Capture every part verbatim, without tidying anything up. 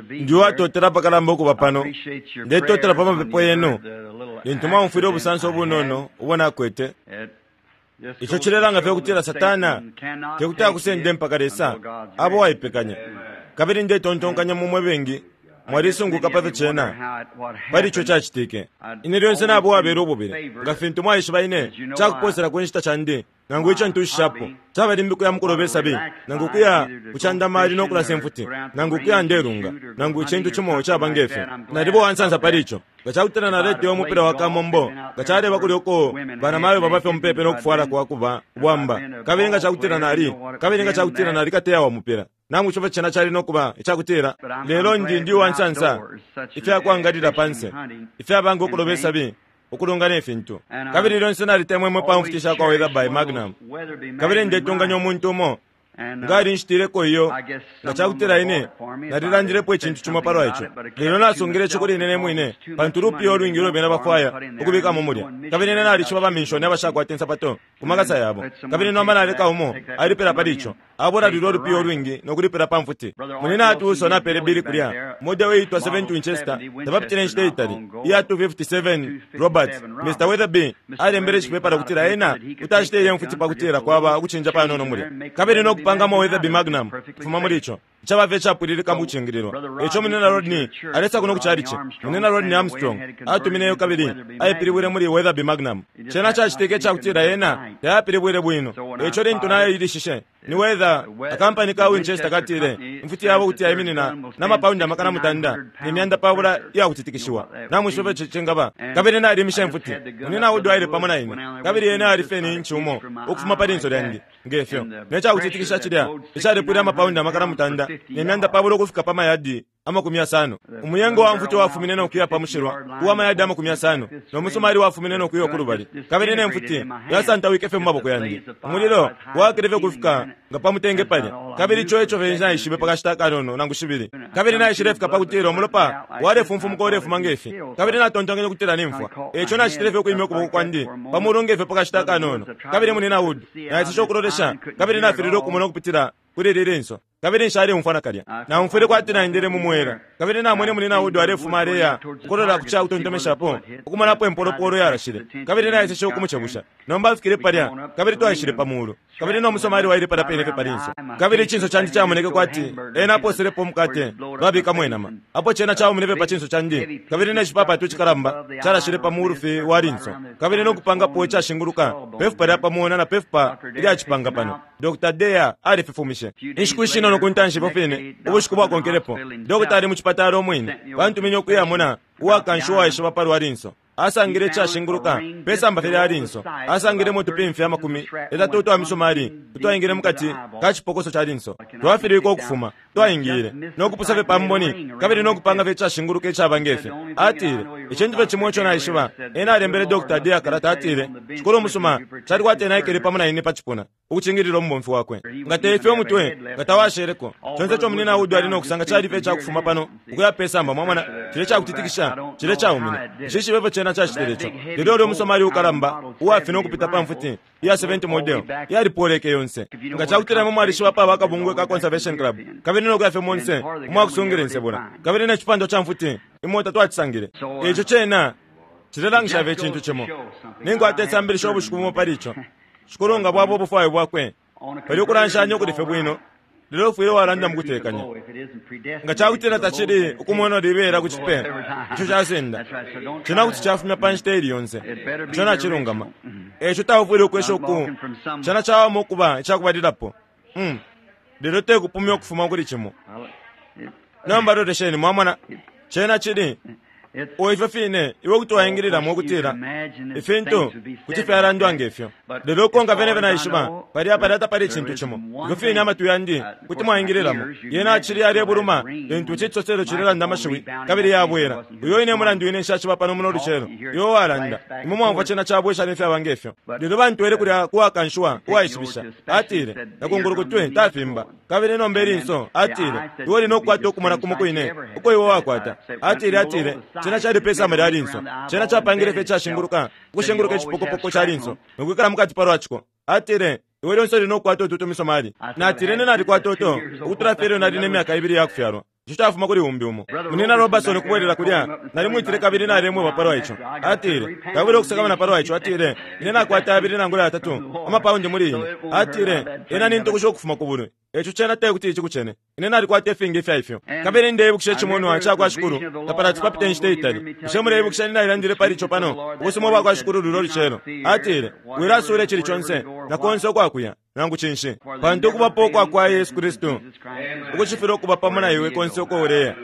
Ndiwatotela pakalamba ukuba pano. Ndetotela pa mapepo yenu lintu mwaumfwile ubusanso ubunono ubo nakwete. Ico cilelanga fye ukutila Satana tekuti akusende mpaka Lesa abo waipekanya. Kabili ndetontonkanya mumwe bengi mwalisunguka pa fyo cena pali ico cacitike. Ine lyonse nabo wabela ububile nga fintu mwaishiba ine cakuposela ku nshita candi nangu ico ntushishapo caba limbi kuya mukuloba isabi nangu kuya kucandamali no kulasa imfuti nangu kuya ndelunga nangu icintu cimo caba ngefyo. Nalibo wansansa pali ico. Nga cakutila naleteyo umupila wa kamombo nga caleba kuli uko banamayo babafye umupepe no kufwala kwa kuba bwamba kabili nga cakutila nali kabili nga cakutila nali kateya wa mupila nangu ico cena cali no kuba icakutila. Lelo ndi ndi wansansa ifyakwangalila panse ifyabanga ukuloba isabi ukulunga nefintu. Kabili lyonse nalitemwemwe pa mfuti shakwa Weatherby Magnum. Kabili ndetunganya umuntu umo nga alinshitileko iyo nga cakutila ine nalilandilepo icintu cimo palwa ico. Lelo nasungile ico kuli ine nemwine pantu lupiya olwingi ulo bena bafwaya ukubikamo mulya. Kabili ine nalishiba baminshoni abashakwata insapato ku makasa yabo. Kabili nomba naleka umo alipela pali ico. Abola lulya olupiya olwingi nokulipela pa mfuti. Munina atuuso napele bili kulya model uitwa seventy Winchester tabapitile inshita itali iya two fifty-seven Roberts. Mister Weatherby alembele icipepala kutila ena kuti ile mfuti pakutila kwaba ukucinja panono mulya. Kabili nokupangamo Weatherby Magnum kufuma muli ico caba fye capwililika mu kucingililwa. Ico munina Rodney alesa kuno kuchalichi. Munina Rodney Armstrong atumineyo kabili ayipilibwile muli Weatherby Magnum. Cena cacitike icakutila ena tayapilibwile bwino. Ico lintu nayilishishe ni Weather akampani ka Winchester katile imfuti yabo kuti yayiminina namapaundi amakana mutanda ne myanda pabula iyakutitikishiwa namwishiba fye cingaba. Kabili nalimisha imfuti. Munina Wood aile pamo na ine kabili ena alifye ni inchi umo ukufuma pa linso lyandi ngefyo. Necakutitikisha cilya icalepwile amapaundi amakana mutanda ne myanda pabula ukufika pa mayadi amakumi yasano. Umuyengo wa mfuti wafumine nokuya pa mushilwa uwa mayadi amakumi yasano no musumali wafumine nokuya kulubali. Kabili ne mfuti yasantawike fye mu maboko yandi. Umulilo wakile fye kufika nga pamutenge palya. Kabili ico eco fye naishibe pakashita kanono nangu shibili. Kabili naishile fika pakutila umulopa walefumfumuka ulefuma ngefi. Kabili natontonkenye ukutila nimfwa. Eco nacitile fye ukwimya ukuboko kwandi pamulu ngefe pakashita kanono. Kabili munina Wood naishishe ukulolesha kabili nafilile ukumona ukupitila kuli lili linso. Kabili nshalemfwa nakalya. Naumfwile kwati naendele mu mwela. Kabili namwene munina Wood alefuma aleya ukulola ku cakutontomeshapo ukumonapo empolopolo yarashile. Kabili naiseshe ukumucebusha. Nomba afikile palya kabili twaishile pa mulu. Kabili no musomali waile palya pene fye palinso. Kabili icinso candi camoneke kwati ena aposelepo umukate babikamo inama. Apo cena caumine fye pa cinso candi. Kabili necipapatu icikalamba carashile pa mulu fye wa linso. Kabili nokupangapo icashinguluka pefupa lya pamona na pefupa ilyacipanga pano. Doctor Dea alififumishe. Inshiku ishinono ku ntanshi ifyo fine ubushiku bwakonkelepo dokota ali mu chipatala omwine bantuminye ukuyamona uwakansha uwaishiba palwa linso. Asangile icashinguluka pesamba fye lya linso. Asangilemo utupimfya amakumi yatatu utwa misumali utwaingile mukati ka cipokoso ca linso. Twafilwike ukufuma twaingile nokupusa fye pamboni kabili nokupanga fye icashinguluka icaba ngefyo. Atile icintu fye cimo ico naishiba. Ena alembele Doctor Dea kalata atile shikulu umusuma cali kwati ena aikele pamo na ine pa cipuna ukucingilila umubomfi wakwe. Nga teifye umutwe nga tawasheleko. Conse ico munina Wood ali nokusanga cali fye icakufuma pano ukuya pesamba mwamona cile cakutitikisha cile caumine. Nshishibe fye cena cacitile ico. Lelo ulya umusomali ukalamba uwafina ukupita pa mfuti iya seventy model yalipoleke yonse. Nga cakutila imwe mwalishiba paba akabungwe ka Conservation Club kabili nokuya fye monse umwakusungila insebula kabili necipando ca mfuti imota twacisangile. Ico cena cilelangisha fye icintu cimo. Ninkwata isambilisho ubushiku bumo pali ico. Shikulu nga bwaba ubufwayo bwakwe pali ukulanshanya ukuli fye bwino. Lelo ufwile walanda mukutekanya. Nga cakutila tacili ukumona libela ku cipe ico casenda cena kuti cafumya pa nshita ili yonse. Ico nacilungama. Eco taufwile ukwesha uku cena cawama ukuba icakubalilapo. Mm. Lelo tekupumya ukufuma kuli cimo. Nomba lolesheni mwamona cena cili o ifyo fine iwe kuti waingililamo ukutila ifintu kuti fyalandwa ngefyo. Lelo ukonka fyene fye naishiba palya palya tapali icintu cimo. Ifyo fine amatwi yandi kuti mwaingililamo. Yena acili alebuluma lintu ici cisoselo cilelanda amashiwi kabili yabwela. Uyo ine mulandu ine nshaciba pano muno lucelo. Iwe walanda imwe mwamfwa cena cabwesha nefyaba ngefyo. Lelo bantwele kulya kuwakanshiwa uwaishibisha. Atile nakungulukutwe tafimba. Kabili nomba ilinso atile iwe uli nokukwata ukumona kumo kwine uko iwe wakwata. Atile atile cena cali pesamba lya linso. Cena capangile fye icashinguluka ukushinguluka icipokopoko ca linso nokwikala mukati palwaciko. Atile Iwe lyonse uli nokukwata utu tumisomali. Natile ine nalikwata uto ukutula fye ilyo nali ne myaka ibili yakufyalwa. Ico cafuma kuli umbi umo. Munina Robertson ukubwelela kulya, nalimwitile kabili nalemweba palwa ico. Atile, "Taubile ukusakamana palwa ico." Atile, "Ine nakwata abili nangula yatatu amapaundi muli ine." Atile, "Ena nintukusha ukufuma ku bulwi. Eco cena tekuti icikucene. Ine nalikwata ifingi ifya ifyo." Kabili ndeibukisha icimonwa ca kwa Shikulu tapalati papita inshita itali. Bushe muleibukisha ninalandile pali ico pano? Ubusuma bwa kwa Shikulu lulo lucelo. Atile, "Wilasula icili conse na konse ukwakuya nangu cinshi, pantu ukubapo kwa kwa Yesu Kristu ukucifila ukuba pamo na iwe konse uko uleya."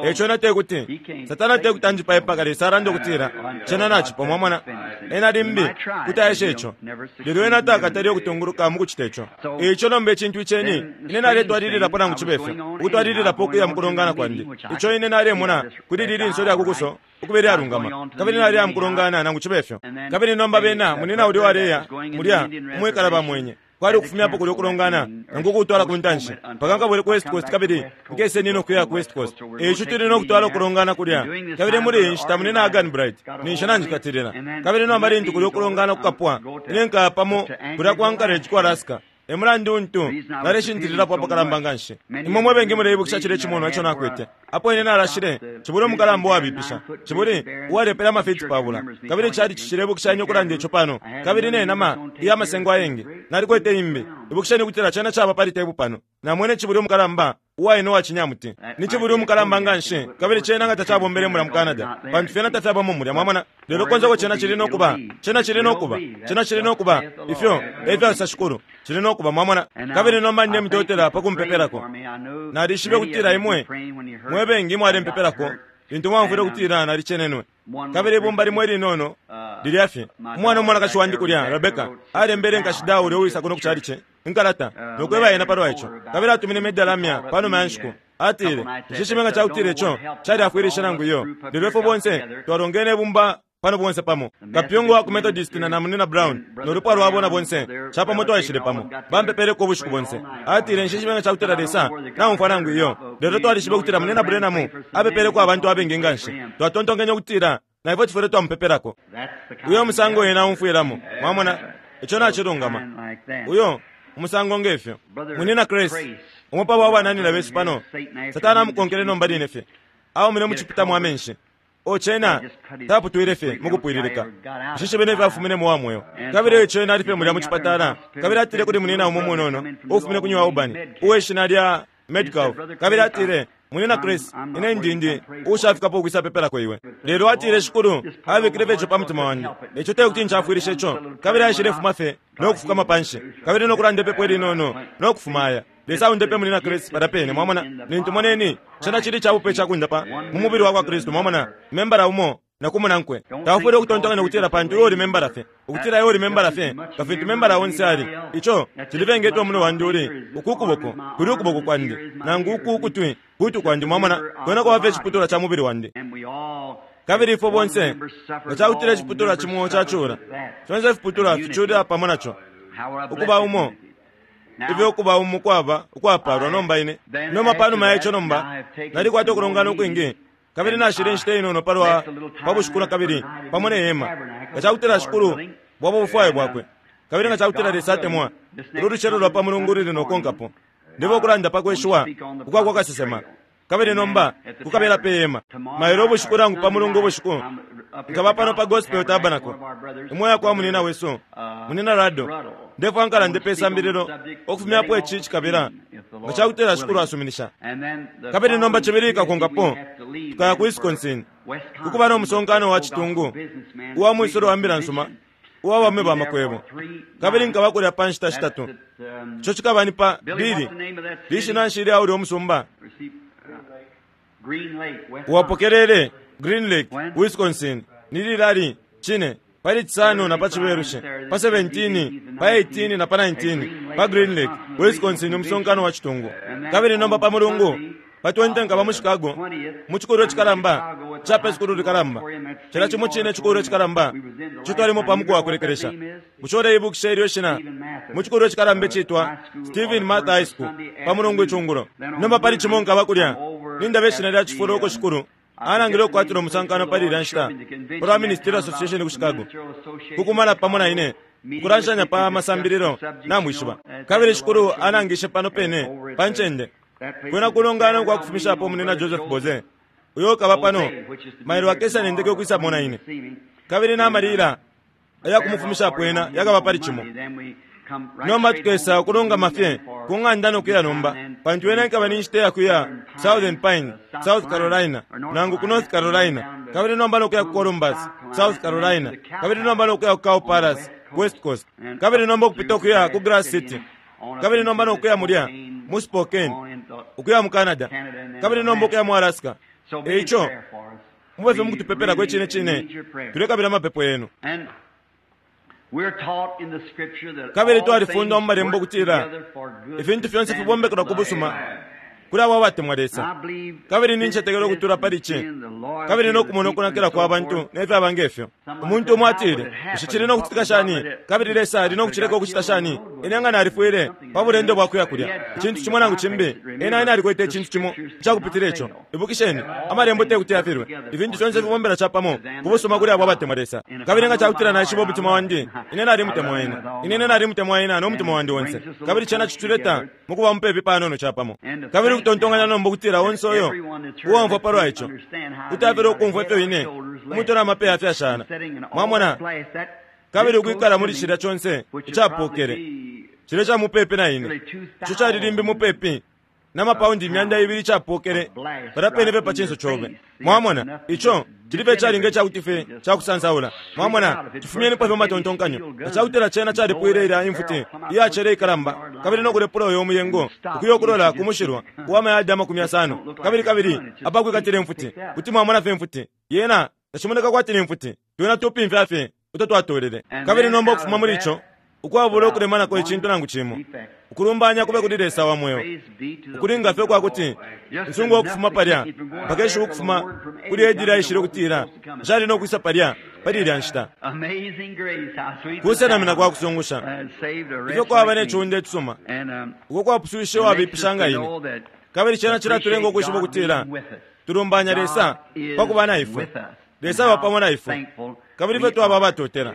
Eco na tekuti Satana tekuti anjipaye mpaka Lesa alanda ukutila cena nacipo. Mwamona, ena limbi kuti aesha ico, lelo ena takatali ukutunguluka mu kucita ico. Ico nomba icintu iceni, ine naletwalililapo nangu cibe fyo, ukutwalililapo ukuya mu kulongana kwandi. Ico ine nalemona kuli lilinso lya kukuso ukuba ilyalungama, kabili naliya mu kulongana nangu cibe fyo. Kabili nomba bena munina uli waleya mulya umwikala bamwenye kwali ukufumyapo kulya ukulongana nangu ukutwala ku ntanshi mpaka nkabwele ku West Coast, kabili nkese nino kuya ku West Coast. Ico tuli nokutwala ukulongana kulya, kabili muli iyi nshita munina Hagan Bright ninsha nanjikatilila. Kabili nomba lintu kulya ukulongana kukapwa, ine nkaya pamo kulya ku Anchorage ku Alaska. E mulandu untu naleshintililapo apakalamba nganshi. Imwe mwe bengi muleibukisha cilya icimonwa ico nakwete apo ine nalashile cibuli umukalamba uwabipisha, cibuli uwalepele amafiti pabula, kabili cali cicilebukishanya ukulanda ico pano. Kabili ne nama iya masengo ayengi nalikwete imbi. Ibukisheni ukutila cena caba pali tebu pano. Namwene cibuli umukalamba uwaine uwacinyamuti, ni cibuli umukalamba nganshi, kabili cena nga tacabombele mulya mu Canada, pantu fyena tafyabamo mulya, mwamona. Lelo konse uko cena cili nokuba, cena cili nokuba, cena cili nokuba, ifyo efyasosa Shikulu, cili nokuba, mwamona. Kabili nomba ndemutotela pa kumpepelako. Nalishibe kutila imwe mwe bengi mwalempepelako lintu mwamfwile kutila nalicenenwe. Kabili ibumba limwe linono lilya fye umwana umwanakashi wandi kulya, Rebecca, alembele nkashi Dauli uwisa kuno kucalice inkalata nokweba yena palwa ico. Kabili atumine medalamya panuma ya nshiku. Atile, "Nshishibe nga cakutila ico calyafwilisha nangu iyo, lelo ifwe bonse twalongene ibumba pano bonse pamo, kapyungu wa ku Methodist na namunina Brown nolupwa lwabo na bonse capamo twaishile pamo, bampepeleko ubushiku bonse." Atile, "Nshishibe nga cakutila Lesa naumfwa nangu iyo, lelo twalishibe ukutila munina Branham apepeleko abantu abengi nganshi. Twatontonkenye ukutila na ifwe tufwile twamupepelako." Uyo musango ena aumfwilamo, mwamona, ico nacilungama. Uyo umusango ngefyo. Munina Chris, umupa wa bananina besu pano, Satana amukonkele nomba line fye aumine mucipitamo amenshi. O cena taputwile fye mukupwililika. Nshishibe nefyo afuminemo wa mweo. Kabili ico ena ali fye mulya mucipatala, kabili atile kuli munina umo munono ufumine ku New Albany uweshina lya Medcalf, kabili atile, "Munina Chris, ine ndindi ushafikapo ukwisa pepelako iwe." Lelo atile, "Shikulu abikile fye ico pa mutima wandi. Ico tekuti ncafwilishe ico." Kabili aishile fuma fye nokufukama panshi, kabili nokulanda ipepo ilinono nokufuma aya. Lesa aundepe munina Chris palya pene, mwamona. Lintu moneni cena cili cabupe cakundapa mu mubili wa kwa Kristu, mwamona, membala umo na kumunankwe. Taufwile ukutontonkanya ukutila pantu iwe uli membala fye, ukutila iwe uli membala fye nga fintu membala onse ali. Ico cilivengetwa muno wandi uli uku kuboko kuli ukuboko kwandi, nangu uku ukutwi kutwi kwandi, mwamona, kwena kwaba fye iciputulwa ca mubili wandi. Kabili ifwe bonse nga cakutila iciputulwa cimo cacula, fyonse ifiputulwa ficulila pamo naco ukuba umo. Ifyo ukuba umo kwaba ukwapalwa. Nomba ine nomba panuma ya ico nomba nalikwata ukulongana ukwingi, kabili nashile inshita inono palwa pa bushiku na kabili pamo ne hema, nga cakutila Shikulu bwaba ubufwayo bwakwe, kabili nga cakutila Lesa atemwa, ulu lucelo lwa pa mulungu luli nokonkapo ndebo ukulanda pa kweshiwa ukwa kwa kasesema. Kabili nomba kukabela pe hema mailo ubushiku nangu pa mulungu ubushiku nkaba pano pa Gospel Tabernacle imwe yakwa munina wesu munina Rado. Ndefwa nkalande pe sambililo okufumyapo ici cikabila nga cakutila Shikulu asuminisha. Kabili nomba cibili ikakonkapo tukaya ku Wisconsin kukuba no musonkano wa citungu uwa mwisolo wa mbila nsuma uwa baume ba makwebo, kabili nkaba kulya pa nshita shitatu. Ico cikaba ni pa Bili lishina nshi lya ulya umusumba uwapokelele Green Lake, Wisconsin, ni lilali cine pali cisano na pa cibelushi, pa seventeen, pa eighteen na pa nineteen, pa Green Lake, Wisconsin, umusonkano wa citungu. Kabili nomba pa mulungu pa twenty nkaba mu Chicago mu cikulilo cikalamba ca sukulu likalamba, cila cimo cine cikulilo cikalamba ico twalimo pa muku wa kulekelesha. Bushe uleibukisha ilyo shina mu cikulilo cikalamba icitwa Stephen Martha High School pa mulungu icungulo? Nomba pali cimo nkaba kulya nindaba ishina lya cifulo uko shikulu Anangile ukukwatila umusankano pali ilya nshita palwa Ministerial Association ku Chicago, kukumana pamo na ine ukulanshanya pa masambililo, namwishiba. Kabili Shikulu anangishe pano pene pa ncende kwena kulongana kwa kufumishapo munina Joseph Boze, uyo ukaba pano mailo akesa nendeke ukwisa mona ine. Kabili namalila ayakumufumishapo ena yakaba pali cimo. Nomba tukesa ukulungama fye ku ng'anda nokuya nomba, pantu ena ikaba ni nshita yakuya Southern Pine, South Carolina, nangu ku North Carolina, kabili nomba nokuya ku Columbus, South Carolina, kabili nomba nokuya ku Cow Palace, West Coast, kabili nomba ukupita ukuya ku Grass City, kabili nomba nokuya mulya mu Spokane, ukuya mu Canada, kabili nomba ukuya mu Alaska. Eico mube fye mukutupepelako icine cine, tulekabila amapepo yenu. Kabili twalifundwa mu malembo ukutila ifintu fyonse fibombekelwa ku busuma kuli abo abatemwa Lesa. Kabili nincetekela ukutula pali ici, kabili nokumona ukunakila kwa bantu nefyaba ngefyo. Umuntu umo atile, bushe cili nokucitika shani? Kabili Lesa ali nokucileka ukucita shani? Ine nga nalifwile pa bulendo bwa kuya kulya icintu cimo nangu cimbi, ena ena alikwete icintu cimo icakupitila ico. Ibukisheni, amalembo te kuti yafilwe. Ifintu fyonse fibombela capamo ku busuma kuli abo abatemwa Lesa. Kabili nga cakutila naishiba umutima wandi, ine nalimutemwa ena, ine ine nalimutemwa ena no mutima wandi onse. Kabili cena cituleta mukuba mupepi panono capamo. Kabili ukutontonkanya nomba ukutila onse uyo uwomfwa palwa ico kuti afele ukumfwa ifyo ine umutwe namapeya afyashala, mwamona, kabili ukwikala muli cilya conse icapokele cilya ca mupepi na ine, ico cali limbi mupepi na mapaundi imyanda ibili icapokele palya pene fye pa cinso cobe. Mwamona, ico cili fye calinga icakuti fye cakusansaula. Mwamona, cifumyenipo fye matontonkanyo. Nga cakutila cena calipwile ilya imfuti iyacele ikalamba, kabili nokulepula uyo umuyengo ukuya ukulola ku mushilwa uwa mayadi amakumi yasano, kabili kabili apakwikatila imfuti, kuti mwamona fye imfuti yena tacimoneka kwati ni mfuti, twena tupimfya fye uto twatolele. Kabili nomba ukufuma muli ico ukwabula ukulemanako icintu nangu cimo, ukulumbanya kube kuli Lesa wa mweo, ukulinga fye kwakuti nsungu ukufuma palya mpaka ishiwi ukufuma kuli edili aishile ukutila nshali nokwisa palya pali ilya nshita. Kusenamina kwa kusungusha ifyo kwaba ne ciunda icisuma uko kwapuswishe wabipisha nga ine. Kabili cena cilatulenga ukwishiba ukutila tulumbanya Lesa pakuba na ifwe, Lesa aba pamo na ifwe, kabili fye twaba abatotela.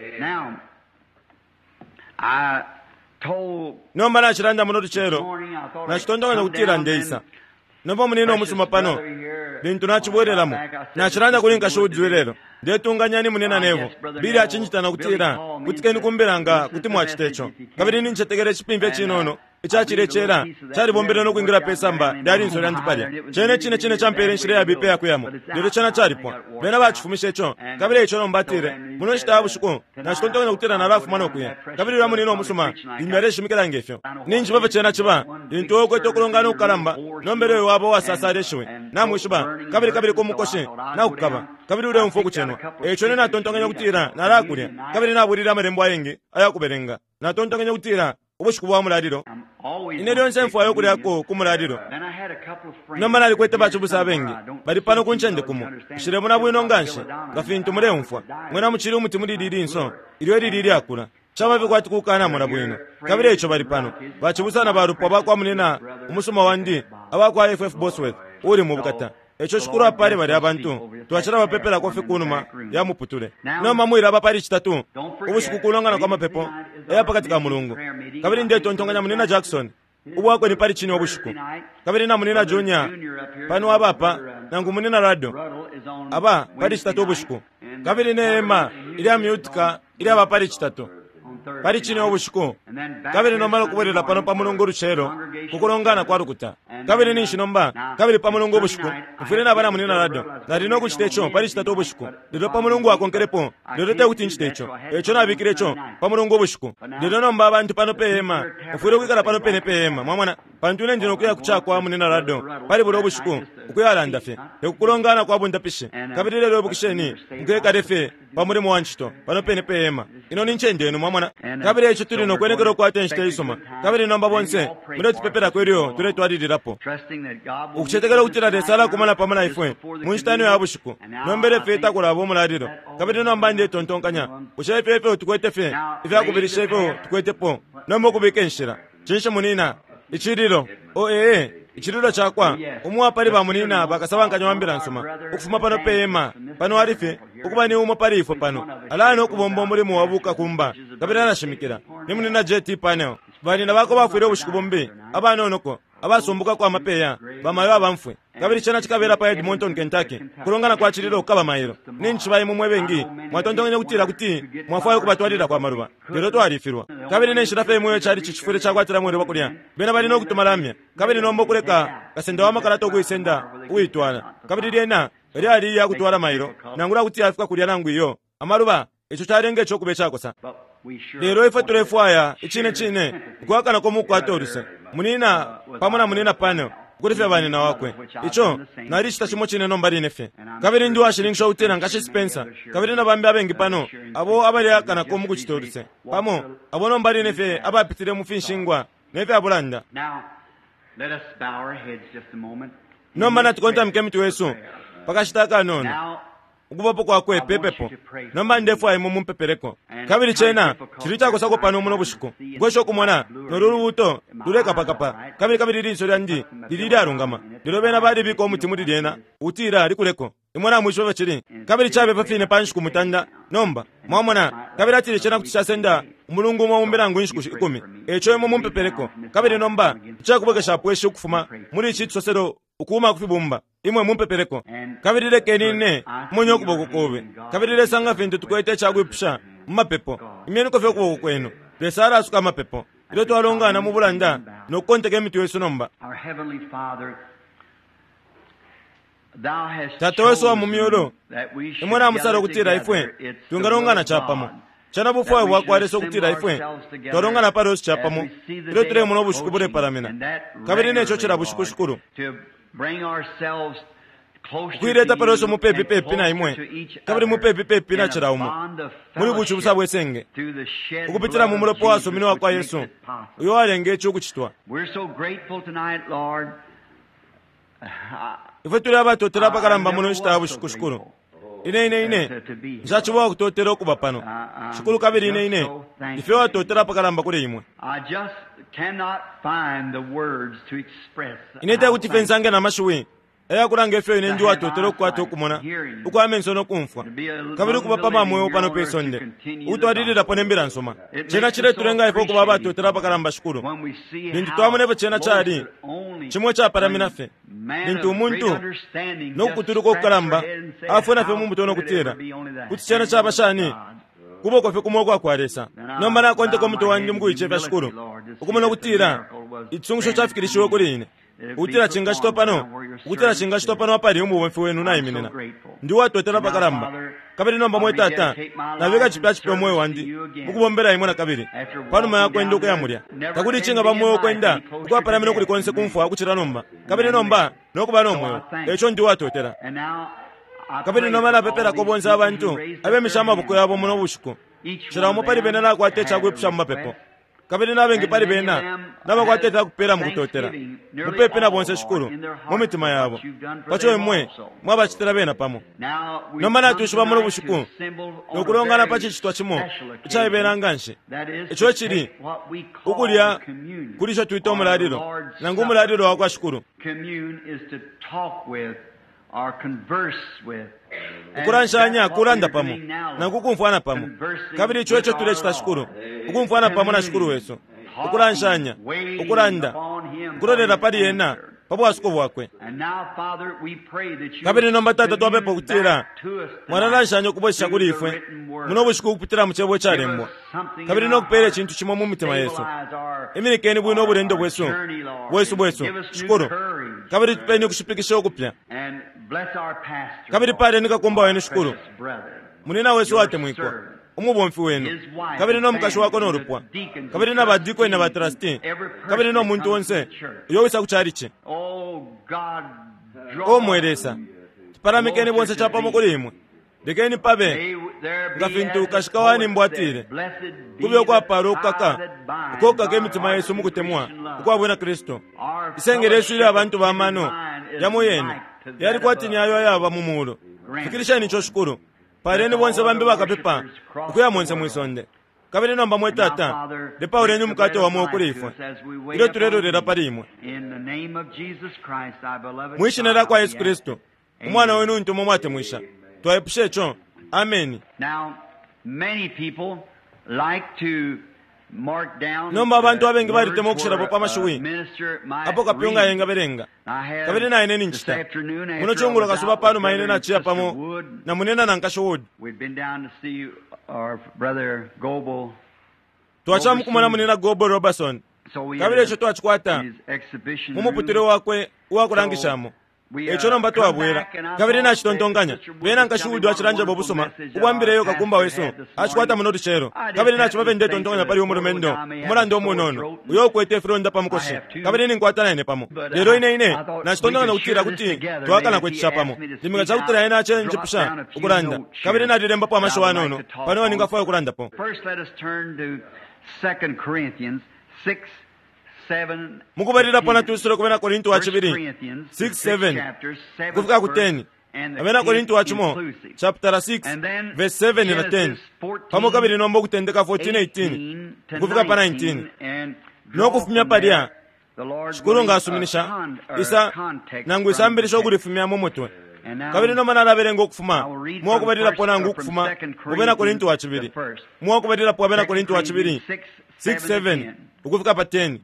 Nomba nacilanda muno lucelo, nacitontonkanya ukutila ndeisa. Nomba munina umusuma pano lintu nacibwelelamo, nacilanda kuli nkashi Woodley lelo, ndetunganya ni munina Nevo Bili acinjitana ukutila kutikeni kumbila nga kuti mwacita ico. Kabili nincetekela icipimfya cinono icacile cela calibombele nokwingila pe samba lya linso lyandi palya. Cene cine cine campele inshila yabipa iyakuyamo, lelo cena calipwa. Bena bacifumishe ico. Kabili ico nomba atile muno nshita ya bushiku nacitontonkanya ukutila nalafuma nokuya. Kabili ulya munina umusuma limbi aleshimikila ngefyo. Ninjiba fye cena ciba lintu uwe ukwete ukulongana ukukalamba, nombele uyo waba uwasasala ishiwi, namwishiba, kabili kabili ku mukoshi nakukaba, kabili uleumfwa ukucenwa. Eico ine natontonkanya ukutila nalakulya, kabili nabulile amalembo ayengi ayakubelenga. Natontonkanya ukutila ubushiku bwa mulalilo, ine lyonse mfwayo ukulyako ku mulalilo. Nomba nalikwete bacibusa abengi bali pano ku ncende kumo, nshilemona bwino nganshi nga fintu muleumfwa. Mwena mucili umuti muli lili linso ilyo ilili ilyakula, caba fye kwati kukanamona bwino. Kabili eico bali pano bacibusa na balupwa bakwa munina umusuma wandi abakwa F F Bosworth uli mu bukata. Eco Shikulu apale bali abantu twacila bapepelako fye kunuma ya muputule. Nomba mwilaba pali citatu ubushiku kulongana kwa mapepo eya pakati ka mulungu. Kabili ndetontonkanya munina Jackson ubwakwe ni pali cine ubushiku, kabili na munina Junior pano abapa nangu munina Rado aba pali citatu ubushiku, kabili ne hema ilya myutika ilyaba pali citatu pali cine ubushiku. Kabili nomba nokubwelela pano pa mulungu ulucelo kukulongana kwa lukuta. Kabili ninshi nomba kabili pa mulungu ubushiku mfwile naba na munina Rado nali nokucita ico pali citatu ubushiku, lelo pa mulungu akonkelepo lelo tekuti ncite ico. Eco nabikile ico pa mulungu ubushiku. Lelo nomba abantu pano pe hema mfwile ukwikala pano pene pe hema, mwamona, pantu ine ndi nokuya kucakwa munina Rado pali bulya ubushiku ukuyalanda fye tekukulongana kwa bundapishi. Kabili lelo ibukisheni mukekale fye pa mulimo wa ncito pano pene pe hema. Ino ni ncende yenu, mwamona. Kabili eco tuli nokwenekela ukukwata inshita isuma. Kabili nomba bonse muletupepelako ilyo tuletwalililapo, ukucetekela ukutila Lesa alakumana pamo na ifwe mu nshita ino ya bushiku. Nombele fye takulaba umulalilo. Kabili nomba ndetontonkanya bushe ifyo ifyo tukwete fye ifyakubilisha ifyo tukwetepo nomba ukubika inshila. Cinshi munina icililo o ee Icililo cakwa umo wapali bamunina bakasabankanya wa mbila nsuma ukufuma pano pe hema pano ali fye ukuba ni umo pali ifwe pano alaya nokubomba umulimo wa bukakumba kabili alashimikila ni munina J T Panel. Banina bako bafwile ubushiku bumbi abanonoko abasumbukako amapeya bamayo abamfwe kabili cena cikabela pa Edmonton, Kentucky kulongana kwa cililo kukaba mailo. Ninchi imwe mwe bengi mwatontonkenye kutila kuti mwafwayo ukubatwalila kwa maluba, lelo twalifilwa. Kabili nenshila fye imwe cali cicifwile cakwatila mwele wakulya bena bali nokutuma lamya kabili nomba okuleka kasenda wa makalata ukuisenda uitwala kabili lyena lyali yakutwala mailo nangula kuti yafika kulya nangu iyo amaluba ico calenga ico kuba icakosa. Lelo ifwe tulefwaya icine cine ukwakana mukwata oluse munina pamo na munina pano kuli fye banina wakwe ico nalicita cimo cine nomba line fye. Kabili ndi washininkisha ukutila nkashi Spencer kabili na bambi abengi pano abo abalyakanako mukucita oluse pamo abo nomba line fye abapitile mu finshingwa ne fya bulanda. Nomba natukontamike imitwe yesu pakashita akanono ukubapo kwakwe pepepo. Nomba ndefwaya imwe mumpepeleko. Kabili cena cili cakosako pano muno bushiku kwesha okumona nolu lubuto lulekapakapa kabili kabili linso lyandi lili lyalungama lelo bena balibika omuti muli lyena utila likuleko imwe namwishiba fye cili kabili cabepa fine pa nshiku mutanda. Nomba mwamona kabili atile cena kuti casenda umulungu umo umbi nangu inshiku ikumi. Eco imwe mumpepeleko. Kabili nomba icakubwekeshapo ishi ukufuma muli ici cisoselo ukuuma kufibumba imwe mumpepeleko. Kabili lekeni ine munye ukuboko kobe kabili lesanga fintu tukwete icakwipusha mu mapepo. Imyeniko fye ukuboko kwenu. Lesa alasuka amapepo ilyo twalongana mu bulanda nokukonteka imitwe yesu nomba. Tata wesu wa mu myulu, imwe namusala ukutila ifwe twingalongana capamo. Cana bufwayo bwakwa Lesa ukutila ifwe twalongana pali osi capamo ilyo tulemona ubushiku bulepalamina kabili neco cila bushiku shikulu ukuileta pali osi mupepi pepi na imwe kabili mupepi pepi na cila umo muli bucibusa bwesenge ukupitila mu mulopa wasumine wakwa Yesu uyo walenga ici ukucitwa. Ifwe tuli abatotela apakalamba muno nshita ya bushiku shikulu. Ine ine ine nshaciba wakutotela ukuba pano shikulu kabili ine ine ifyo watotela apakalamba kuli imwe. Ine tekuti fye nsange na mashiwi ayakulanga ifyo ine ndi watotela ukukwata okumona ukwa amenso nokumfwa kabili ukuba pa mweo pano pe sonde ukutwalililapo ne mbila nsuma. Cena ciletulenga ifwe ukuba abatotela apakalamba shikulu lintu twamona ifyo cena cali cimwe capalamina fye lintu umuntu nokukutuluka okukalamba afuna fye mu mutwe nokutila kuti cena caba shani kuboko fye kumo ukwakwa Lesa. Nomba nakonteka umutwe wandi mukuicefya shikulu ukumona ukutila icisungusho cafikilishiwe kuli ine ukutila cingacitwa pano ukutila cingacitwa pano apali umubomfi wenu naiminina ndi watotela apakalamba. Kabili nomba mwe tata nabika cipya cipya omwoyo wandi mukubombela imwe na kabili panuma yakwenda ukuya mulya. Takuli icinga pa mwoyo ukwenda ukwapalamina ukuli konse kumfwa ukucila nomba kabili nomba nokuba nomwoyo eco ndi watotela. Kabili nomba napepelako bonse abantu abemisha amaboko yabo muno bushiku cila umo pali bena nakwata icakwipusha mu mapepo kabili nabengi pali bena nabakwata ifyakupela mukutotela mupepe na bonse shikulu mu mitima yabo paco imwe mwabacitila bena pamo. Nomba natwishiba muno bushiku nokulongana pa cicitwa cimo icaibela nganshi ico cili ukulya kuli ico twita umulalilo nangu umulalilo wakwa shikulu. Ukulanshanya kulanda pamo nangu kumfwana pamo kabili ico eco tulecita shikulu ukumfwana pamo na shikulu wesu ukulanshanya ukulanda ukulolela pali ena pa bwasuko bwakwe. Kabili nomba tata twapepa ukutila mwalalanshanya ukubwesesha kuli ifwe muno bushiku ukupitila mu cebo icalembwa kabili nokupela icintu cimo mu mitima yesu. Iminikeni bwino obulendo bwesu bwesu bwesu shikulu kabili tupeni ukushipikisha ukupya. Kabili paleni kakumba wenu shikulu munina wesu watemwikwa umubomfi wenu kabili nomukashi wako nolupwa kabili na badikoni na batrasti kabili nomuntu onse uyo wisa ku chalichi. O mwe Lesa tupalamikeni bonse capamo kuli imwe lekeni pabe nga fintu kashika wanimbo atile kube ukwapala ukukaka ukokaka imitima yesu mukutemwa ukwabwina Kristu. Isenge lyesu ilyo abantu bamano yamo yene yali kwati ni ayo ayaba mu mulu. Fikilisheni ico shikulu paleni bonse bambi bakapepa ukuya monse mwisonde. Kabili nomba mwe Tata, lepauleni umukate wa mweo kuli ifwe ilyo tulelolela pali imwe. Mwi shina lya kwa Yesu Kristu, umwana wenu untu mwe mwatemwisha, twaipusha ico. Ameni. Nomba abantu abengi balitemwa ukushirapo pa mashiwi apo kapyunga yengabelenga, kabili naine ninchita muno chungulo kasuba panuma ine naciya pamo na munena na Nkashi Wood. Twaca mukumona munena Goble Robertson, kabili ico twacikwata mu muputule wakwe uwakulangishamo. Eco nomba twabwela kabili nacitontonkanya bena Nkashi Wood acilanjabo ubusuma ubwambileyo kakumba wesu acikwata muno lucelo, kabili naciba ndetontonkanya pali umulumendo umulando umunono uyo ukwete ifilonda pa mukoshi, kabili ninkwata naine pamo. Lelo ine ine nacitontonkanya ukutila kuti twakana kwecisha pamo limika cakutila ine acenjipusha ukulanda, kabili nalilembapo amashiwi anono pano ningafwaya ukulandapo. Mukubalilapo natusile ku Bena Korinto wa cibili six seven kufika ku ten, Abena Korinto wa cimo chapter six verse seven na ten, pamo kabili nomba ukutendeka fourteen eighteen kufika pa nineteen nokufumya palya. Shikulu nga asuminisha isa nangu isambilisha ukulifumya mu mutwe, kabili nomba nalabelenga ukufuma muwakubalilapo nangu ukufuma mu Bena Korinto wa cibili muwakubalilapo Abena Korinto wa cibili six seven ukufika pa ten.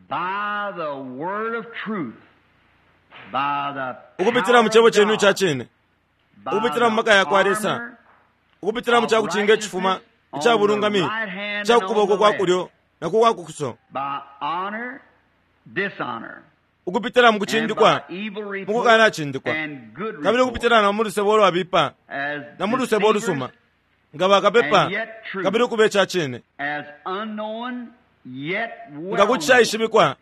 Ukupitila mu cebo cenu ica cine, ukupitila mu maka ya kwa Lesa, ukupitila mu cakucinga icifuma ica bulungami ica kukuboko kwa kulyo na ku kwa kukuso, ukupitila mu kucindikwa mu kukanacindikwa, kabili ukupitila na mu lusebo ulwabipa na mu lusebo ulusuma, nga bakapepa kabili ukuba ica cine, nga kuti caishibikwa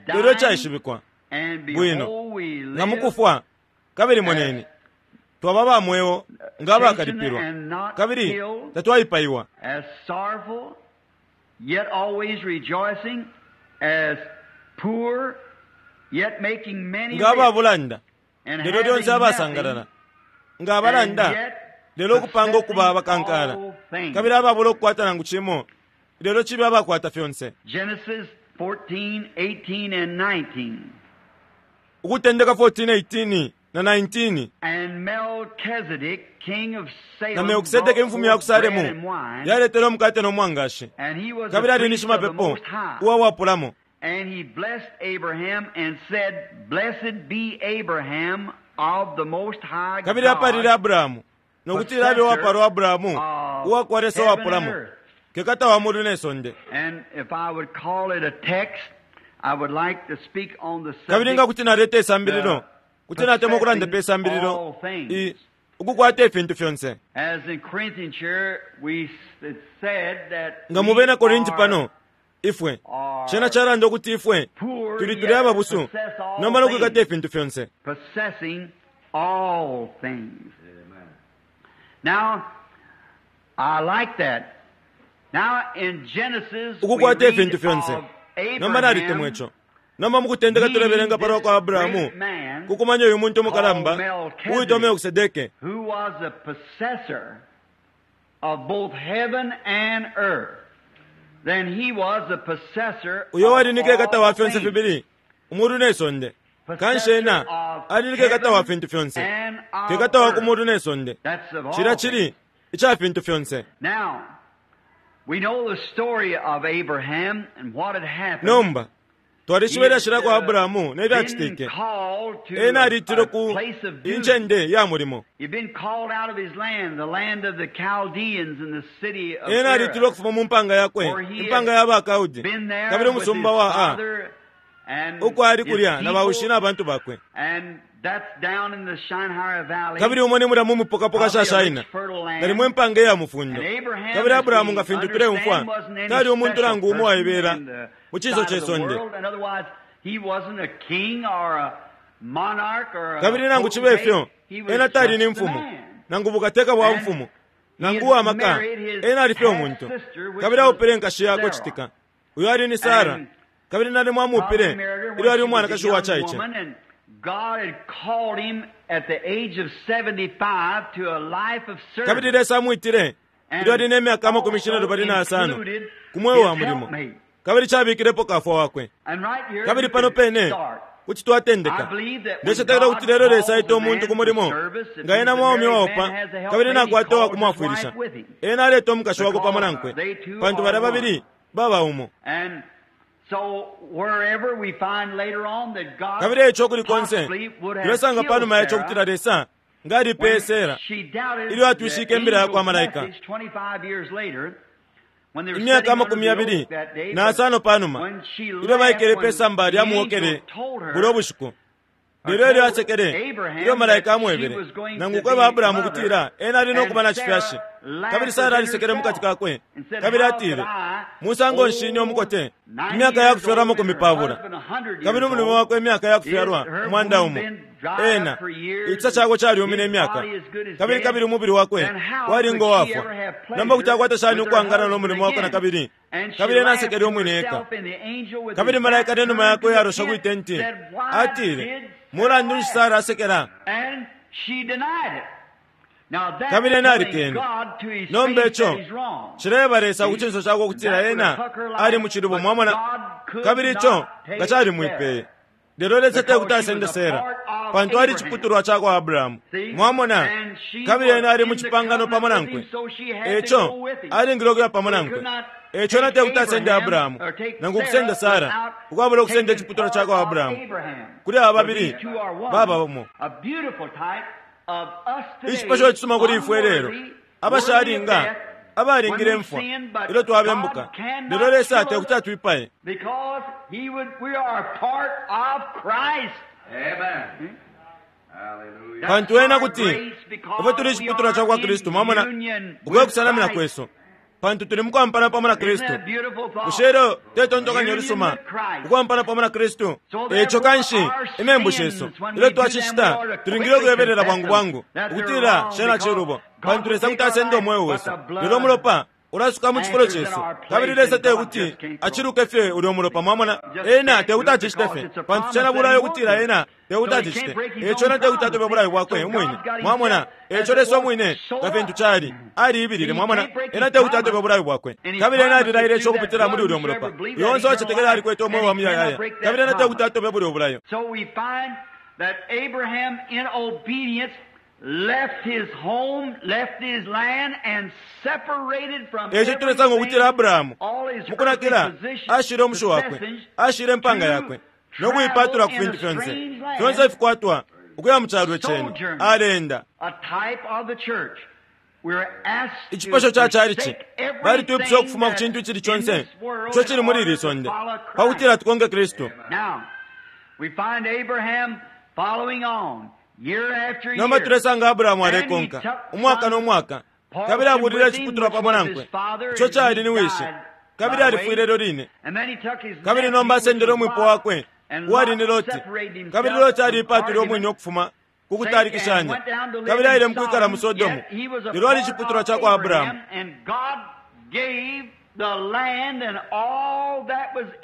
lelo caishibikwa bwino, nga mukufwa kabili moneni twaba ba mweo nga abakalipilwa kabili tatwaipaiwa, nga ababulanda lelo lyonse abasangalala, nga abalanda lelo ukupanga ukuba abakankala, kabili ababula ukukwata nangu cimo lelo cibe abakwata fyonse. Ukutendeka fourteen eighteen na nineteen. Na Melkisedeke imfumu ya ku Salemu yaletele umukate no mwangashi, kabili ali ni shimapepo uwa wapulamo. And he blessed Abraham and said, Blessed be Abraham of the Most High God. Kabili apalile Abrahamu nokutila abe wapalwa Abrahamu uwa Lesa wapulamo, kekata wa mulu ne sonde. And if I would call it a text, I would like to speak on the subject. Kabili nga kuti naleta isambililo, kuti natemwa ukulanda pe isambililo i ukukwata ifintu fyonse. As in Corinthians here, we it said that nga mu Bena Korinti pano ifwe cena calanda ukuti ifwe tuli tuli ababusu nomba nokwikata ifintu fyonse, possessing all things. Now, I like that. Now in Genesis, ukukwata ifintu fyonse. Nomba nalitemwa ico. Nomba mukutendeka tulebelenga palwa kwa Abrahamu kukumanya uyu muntu umukalamba uwitwa Melkisedeke, who was a possessor of both heaven and earth. Then he was the possessor uyo wali ni kekata of wa all fyonse things. fibili umulu ne sonde. Kanshi ena ali ni kekata wa fintu fyonse, And of kekata wa ku earth. mulu ne sonde, That's of all cila things. cili ica fintu fyonse. Now, we know the story of Abraham and what had happened. Nomba twalishiba ilyashi lya kwa He had, uh, Abrahamu ne been fyacitike. called to Ena alitilwe a ku place of duty. incende ya mulimo. He'd been called out of his land, the land of the Chaldeans and the city of Ena alitilwe Ur. ukufuma mu mpanga yakwe, For he had impanga ya Bakaudi, Been there kabili with umusumba his wa A, father and uko ali his kulya na baushi people, na bantu bakwe. and that's down in the Shinar Valley. Kabili umo ni mulya mu mupokapoka Probably a sha Shaina, rich, fertile land. nalimo impanga iya mufundo. And Abraham, Kabili as Abrahamu we nga fintu tuleumfwa, understand, wasn't any tali umuntu special nangu umo person waibela in the mu ciso sight ce of the sonde. world. In other words, he wasn't a king or a monarch or a Kabili nangu cibe ifyo, potentate. He was ena tali ni just a mfumu, man. nangu bukateka bwa And mfumu, he nangu had uwa maka, married his ena ali fye umuntu. half-sister, which Kabili was aupile nkashi yakwe Sarah. citika, uyo ali ni Sara, And kabili nalimo amuupile Probably married her when ilyo ali she was a umwanakashi uwa young caice. woman, and God had called him at the age of seventy-five to a life of Kabili service. Lesa amwitile Ilyo ali ne myaka amakumi cinelubali na yasano ku mweo wa mulimo, kabili cabikilepo kafwa wakwe. Kabili pano pene kuti twatendeka. Ndecetekela ukuti lelo Lesa aita umuntu ku mulimo nga ena mwaume waopa kabili nakwata uwa kumwafwilisha, ena aleta umukashi wakwe pamo nankwe, pantu balya babili baba umo. Kabili eco kuli konse tulesanga panuma yaco kutila Lesa nga alipeye Sera ilyo atwishike imbila yakwa malaika imyaka amakumi yabili na asano panuma ilyo baikele pe samba lya muwokele bulyo bushiku. Lelo ilyo asekele ilyo malaika amwebele nangu kweba Abrahamu kutila ena ali nokuba na cifyashi, kabili Sara alisekele mukati kakwe kabili atile, musango nshi umukote imyaka ya kufyalwa amakumi pabula kabili umulume wakwe imyaka ya kufyalwa umwanda umo, ena icisa cakwe calyumine imyaka kabili kabili umubili wakwe wali ngo wafwa. Nomba kuti akwata shani ukwangana no mulimo wakwe na kabili? Kabili ena asekele umwine eka. Kabili malaika nenuma yakwe yarosha kwitenti atile, mulandu nshi Sara asekela? Kabili ena alikene. Nomba ico cileba Lesa ku cinso cakwe ukutila ena ali mu cilubo, mwamona, kabili ico nga calimwipeye. Lelo Lesa tekuti asende Sera pantu ali ciputulwa cakwa Abrahamu, mwamona, kabili ena ali mu cipangano pamo nankwe, eco alingile ukuya pamo nankwe. Eco ena tekuti asende Abrahamu nangu kusenda Sara ukwabula ukusenda iciputulwa cakwa Abrahamu. Kuli aba babili baba umo. Icipasho cisuma kuli ifwe lelo abashalinga abalingile mfwa ilyo twabembuka, lelo Lesa tekuti atwipaye pantu ena kuti ifwe tuli iciputulwa cakwa Kristu, mwamona, ukwekusanamina kwesu, pantu tuli mukwampana pamo na Kristu. Bushe lelo tetontokanyo lisuma ukwampana pamo na Kristu? Eco kanshi imembu shesu ilyo twacicita tulingile ukuyebelela bwangu bwangu ukutila shena cilubo, pantu Lesa kuti asenda umweo wesu, lelo umulopa ulasuka mu cifulo cesu. Kabili Lesa tekuti aciluke fye ulyo mulopa, mwamona, ena tekuti acicite fye pantu cena bulayo ukutila ena tekuti acicite. Eco ena tekuti atobe bulayo bwakwe umwine, mwamona. Eco Lesa umwine nga fintu cali aliibilile, mwamona, ena tekuti atobe bulayo bwakwe. Kabili ena alilaile ico ukupitila muli ulyo mulopa, uyo onse wacetekela alikwete umweo wa muyayaya, kabili ena tekuti atobe bulyo bulayo. Left his home, left his land, and separated from eco tulesanga ukutila Abrahamu mukunakila ashile umushu wakwe, ashile impanga yakwe nokuipatula ku fintu fyonse fyonse ifikwatwa ukuya mu calo cenu alenda. Icipasho ca calici balitwipusha ukufuma ku cintu icili conse ico cili muli ili sonde pakutila tukonke Kristu. Nomba tulesanga Abrahamu alekonka umwaka no mwaka, kabili abulile iciputulwa pamo nankwe ico cali ni wishi, kabili alifwile lelo line. Kabili nomba asendele umwipo wakwe uwali ni Loti, kabili Loti aliipatwile umwine ukufuma ku kutalikishanya, kabili aile mukwikala mu Sodomu, lelo ali iciputulwa cakwa Abrahamu.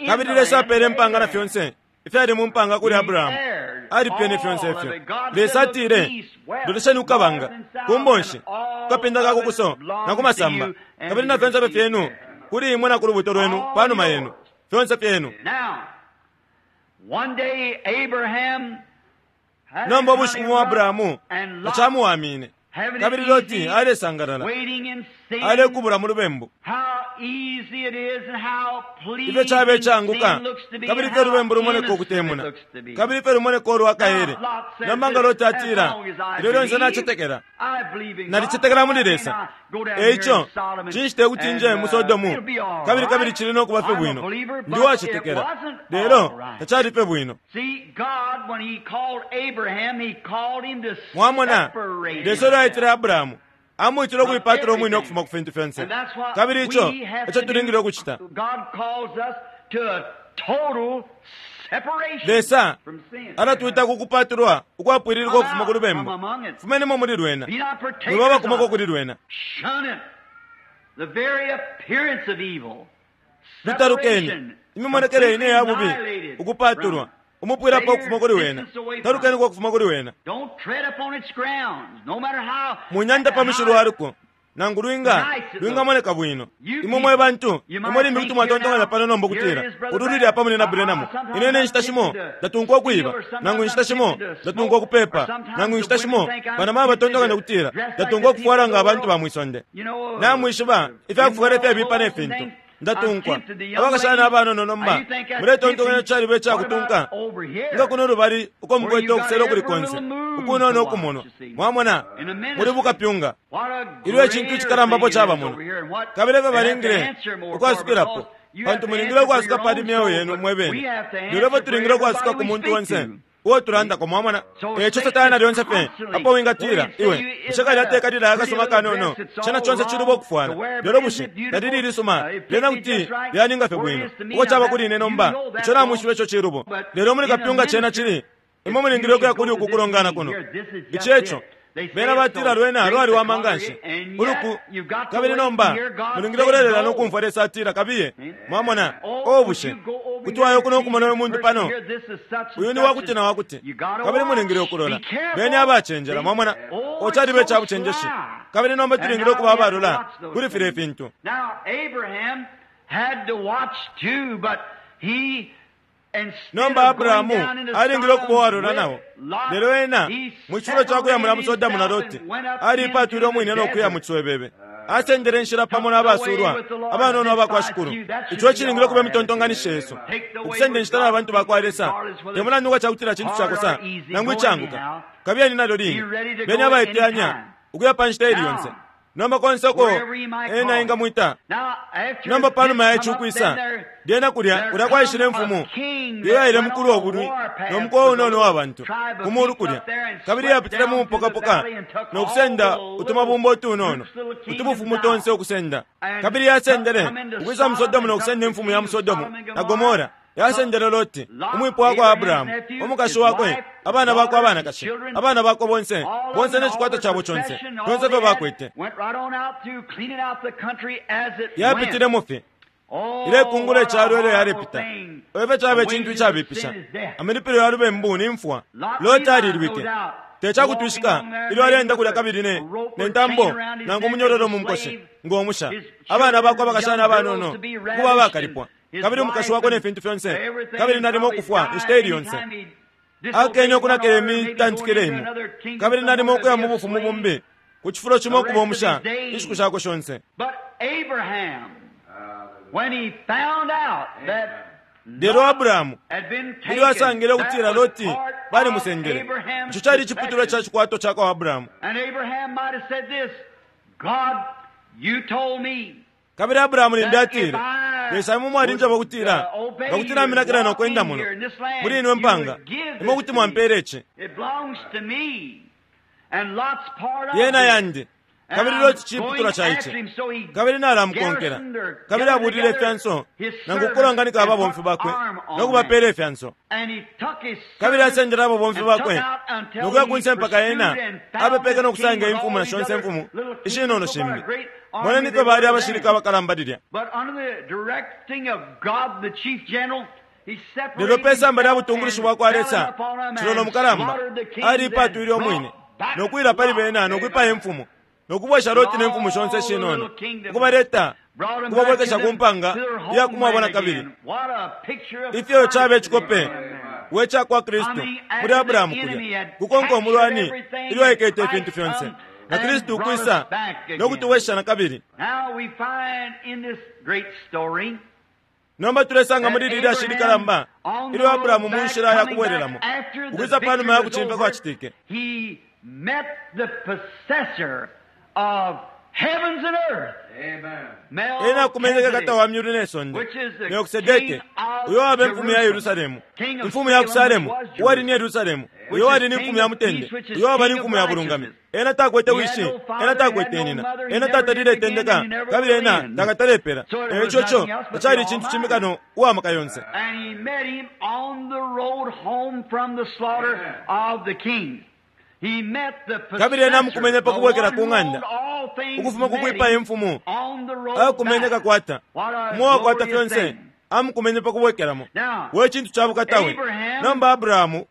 Kabili Lesa apele impanga na fyonse ifyali mu mpanga kuli Abrahamu, alipyene fyonse ifyo. Lesa atile, lolesheni kukabanga, ku mbonshi, kukapinda ka kukuso na kumasamba, kabili na fyonse fyenu kuli imwe na ku lubuto lwenu panuma yenu, fyonse fyenu. Nomba ubushiku bwa Abrahamu tacamuwamine, kabili Loti alesangalala alekubula mu lubembu. Ifyo cabe icanguka, kabili ifyo lubembu lumoneka ukutemuna, kabili ifyo lumoneka ulwakaele. Nomba nga Loti atila, ilyo lyonse nacetekela, nalicetekela muli Lesa, eico cinshi tekuti nje mu Sodomu, kabili kabili cili nokuba fye bwino, ndi wacetekela. Lelo tacali fye bwino. Mwamona, Lesa ilyo aitile Abrahamu amwitile ukuipatula umwine ukufuma ku fintu fyonse, kabili ico eco tulingile ukucita. Lesa alatwita ku kupatulwa ukwapwililika ukufuma ku lubembu. Fumenimo muli lwena, mwiba abakumako kuli lwena. Lutalukeni imimonekele ine ya bubi, ukupatulwa umupwilapo ukufuma kuli wena, talukeniko ukufuma kuli wena. Munyanda pa mushilo waliko, Nangu lwinga lwingamoneka bwino. Imwe mwe bantu, imwe limbi kuti mwatontonkanya pano nomba ukutila ulu luli apa muli na Branham. Ine ne nshita shimo ndatunkwa ukuiba, nangu inshita shimo ndatunkwa ukupepa, nangu inshita shimo banama batontonkanya ukutila ndatunkwa ukufwala nga abantu ba mwisonde. Namwishiba ifyakufwala ifyabipa ne fintu. Ndatunkwa abakashana abanono nomba muletontonkanya calibe icakutunka nga kuno lubali uko mukwete ukusela ukuli konse ukunono ukumonwa. Mwamona muli bukapyunga ilyo icintu icikalambapo caba muno, kabili efyo balingile ukwasukilapo, pantu mulingile ukwasuka pali myeo yenu mwe bene, lelo efyo tulingile ukwasuka ku muntu onse uo tulandako. Mwamona eco Satana lyonse fye apo wingatila iwe bushe kalya tekalila akasuma kanono, cena conse ciluba ukufwala, lelo bushe talili ilisuma lyena kuti lyaninga fye bwino uko caba kuli ine nomba, ico namwishiba ico cilubo. Lelo muli kapyunga cena cili imwe mulingile ukuya kuli uku kulongana kuno. Ici eco bena batila lwena lwaliwama nganshi uluku, kabili nomba mulingile kulelela nokumfwa Lesa atila kabiye. Mwamona o bushe kuti wayo kuno okumona uyu muntu pano, uyu ni wakuti na wakuti, kabili mulingile ukulola beni abacenjela. Mwamona o calibe icabucenjeshi, kabili nomba tulingile ukuba abalola kuli filya ifintu. Nomba Abrahamu alingile ukuba uwalola nao, lelo ena mu cifulo ca kuya mu Sodomu na Loti aliipatwile umwine no kuya mu ciswebebe. Asendele inshila pamo n'abasulwa abanono abakwa Shikulu. Ico cilingile ukuba imitontonkanisho yesu, ukusenda inshita na bantu bakwa Lesa, te mulandu nga cakutila cintu cakosa nangu icanguka. Kabiyeni nalyo line beni abaiteyanya ukuya pa nshita ili yonse. Nomba konse uko ena ingamwita. Nomba panuma ya ici ukwisa lyena kulya kulya kwaishile imfumu iyo yaile mukulu wobulwi no mukowa unono wa bantu ku mulu kulya, kabili yapitile mu mupokapoka no kusenda utumabumba utunono utubufumu tonse ukusenda, kabili yasendele ukwisa mu Sodomu no kusenda imfumu ya mu Sodomu na Gomora. Yasendele Loti umwipo wakwa Abrahamu, umukashi wakwe, abana bakwe abanakashi, abana bakwe bonse bonse n'ecikwata cabo conse fyonse ifyo bakwete. Yapitilemo fye ilekungula icalo ilyo yalepita. Efyo caba icintu icabipisha, amalipilo ya lubembu ni mfwa. Loti alilwike tecakutwishika ilyo alienda kulya kabili ne ne ntambo nangu umunyororo mu mukoshi ng'omusha, abana bakwe abakashana abanono kuba abakalipwa, kabili umukashi wakwe ne fintu fyonse, kabili nalimo ukufwa inshita ili yonse. Akene okunakela imitantikile imo, kabili nalimo ukuya mu bufumu bumbi ku cifulo cimo ukuba umusha inshiku shakwe shonse. Lelo Abrahamu ilyo asangile ukutila Loti balimusendele, ico cali iciputulwa ca cikwato ca kwa Abrahamu. Kabili Abrahamu limbi atile, Lesa imwe mwalinjeba ukutila nga kuti naminakila no kwenda muno muli ino mpanga, imwe kuti mwampela ici. Yena yandi, kabili Loti ciputulwa ca ici, kabili nalamukonkela. Kabili abulile ifyanso nangu kukulonganika ababomfi bakwe no kubapeela ifyanso, kabili asendele ababomfi bakwe no kuya kunse mpaka ena apepeke no kusanga imfumu na shonse imfumu ishinono shimbi. Moneni ifyo bali abashilika abakalamba lilya. Lelo pe samba lya butungulushi bwakwa Lesa, cilolo mukalamba aliipatwile umwine no kwila pali bena no kwipaya imfumu no kubwesha Loti ne mfumu shonse shinono, ukubaleta ukubabwekesha ku mpanga iya kumwabona kabili. Ifyo caba icikope we cakwa Kristu muli Abrahamu kulya kukonka umulwani ilyo aikete ifintu fyonse, na Kristu ukwisa no kutuwesha na kabili. Nomba tulesanga muli lilya shili kalamba ilyo Abrahamu mu nshila ya kubwelelamo ukwisa panuma ya kucimfya kwacitike, ena akumeneke kata wa myulu ne sonde Melkisedeke, uyo waba imfumu ya Yerusalemu, imfumu ya Kusalemu, uwali ni Yerusalemu, uyo wali ni imfumu ya mutende, uyo waba ni imfumu ya bulungami. Ena takwete wishi, ena takwete nina, ena tatalile itendeka, kabili ena takatalepela. Eco co tacali icintu cimbi kano uwamaka yonse. Kabili ena amukumenye pa kubwekela ku ng'anda ukufuma ku kwipaya imfumu, akumenye kakwata umo wakwata fyonse, amukumenye pa kubwekelamo. We cintu ca bukatawe. Nomba Abrahamu,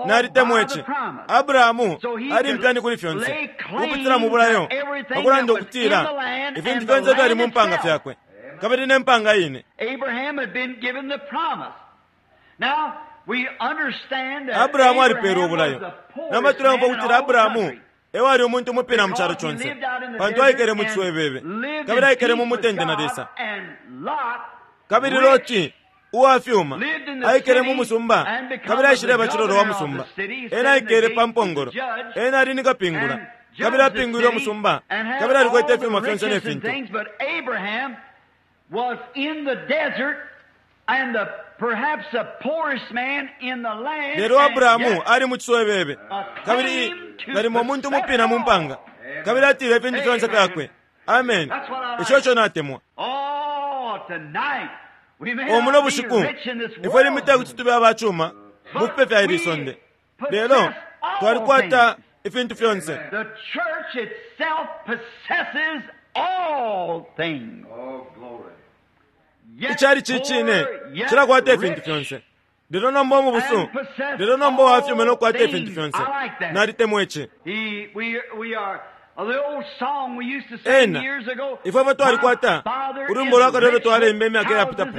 Nalitemwa ici. Abrahamu ali mpyani kuli fyonse ukupitila mu bulayo, pakulanda ukutila ifintu fyonse fyali mu mpanga fyakwe kabili ne mpanga ine. Abrahamu alipeelwe ubulayo. Nomba tuleumfwa ukutila Abrahamu ewali umuntu umupina mu calo conse, pantu aikele mu ciswebebe kabili aikele mu mutende na Lesa. Kabili Loti uwafyuma aikele mu musumba kabili aishileba cilolo wa musumba. Ena aikele pa mpongolo, ena ali ni kapingula kabili apingwile umusumba kabili alikwete ifyuma fyonse ne fintu. Lelo Abrahamu ali mu ciswebebe kabili nalimo umuntu umupina mu mpanga kabili atile ifintu fyonse fyakwe. Amen. Ico ico natemwa. Omuno bushiku ifwe limbi tekuti tube abacuma mu fipe fya ili sonde, lelo twalikwata ifintu fyonse. Icali cicine cilakwata ifintu fyonse. Lelo nomba umubusu, lelo nomba uwafyuma nokukwata ifintu fyonse. Nalitemwa ici. Ena ifwe fwe twalikwata ulwimbo lwakale ulo twalemba imyaka iyapitapo.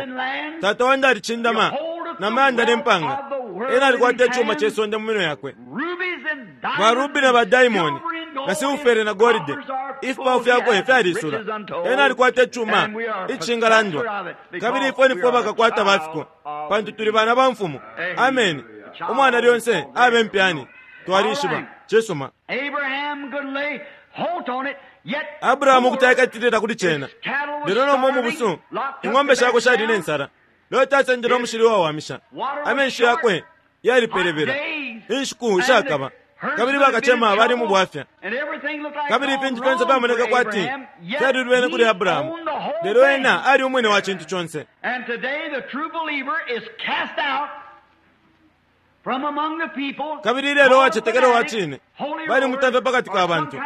Tata wandi alicindama na mayanda ne mpanga. Ena alikwata icuma ce sonde mu minwe yakwe, ba rubi na ba diamond na silfere na golide. Ifipawo fyakwe fyalisula. Ena alikwata icuma icingalandwa, kabili ifwe nifwe bakakwata bafiko, pantu tuli bana ba mfumu. Amen. Umwana lyonse abe mpyani. Twalishiba cisuma. Abrahamu kuti aikatilila kuli cena, lelo nomba umubusu ing'ombe shakwe shali ne nsala. Loti asendele umushili uwawamisha, amenshi yakwe yalipelebela, inshiku ishakaba, kabili bakacema bali mu bwafya, kabili ifintu fyonse fyamoneka kwati fyalilubene kuli Abrahamu, lelo ena ali umwine wa cintu conse. Kabili ilelo uwacetekela uwa cine balimutamfya pakati ka bantu,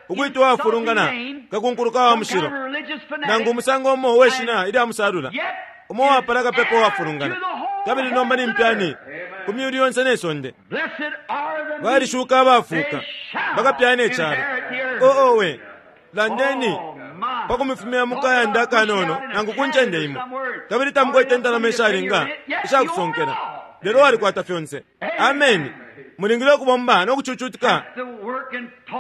ukwitwa uwafulungana, kakunkuluka wa mushilo, nangu umusango umo uwe shina ilya musalula, umo uwapala kapepa uwafulungana, kabili nomba ni mpyani ku myulu yonse ne sonde. Balishuka abafuuka bakapyana icalo. Oo we, landeni pakumifumya mu kayanda akanono nangu ku ncende imo, kabili tamukwete indalama ishalinga ishakusonkela, lelo walikwata fyonse. Amen. Mulingile ukubomba no kucucutika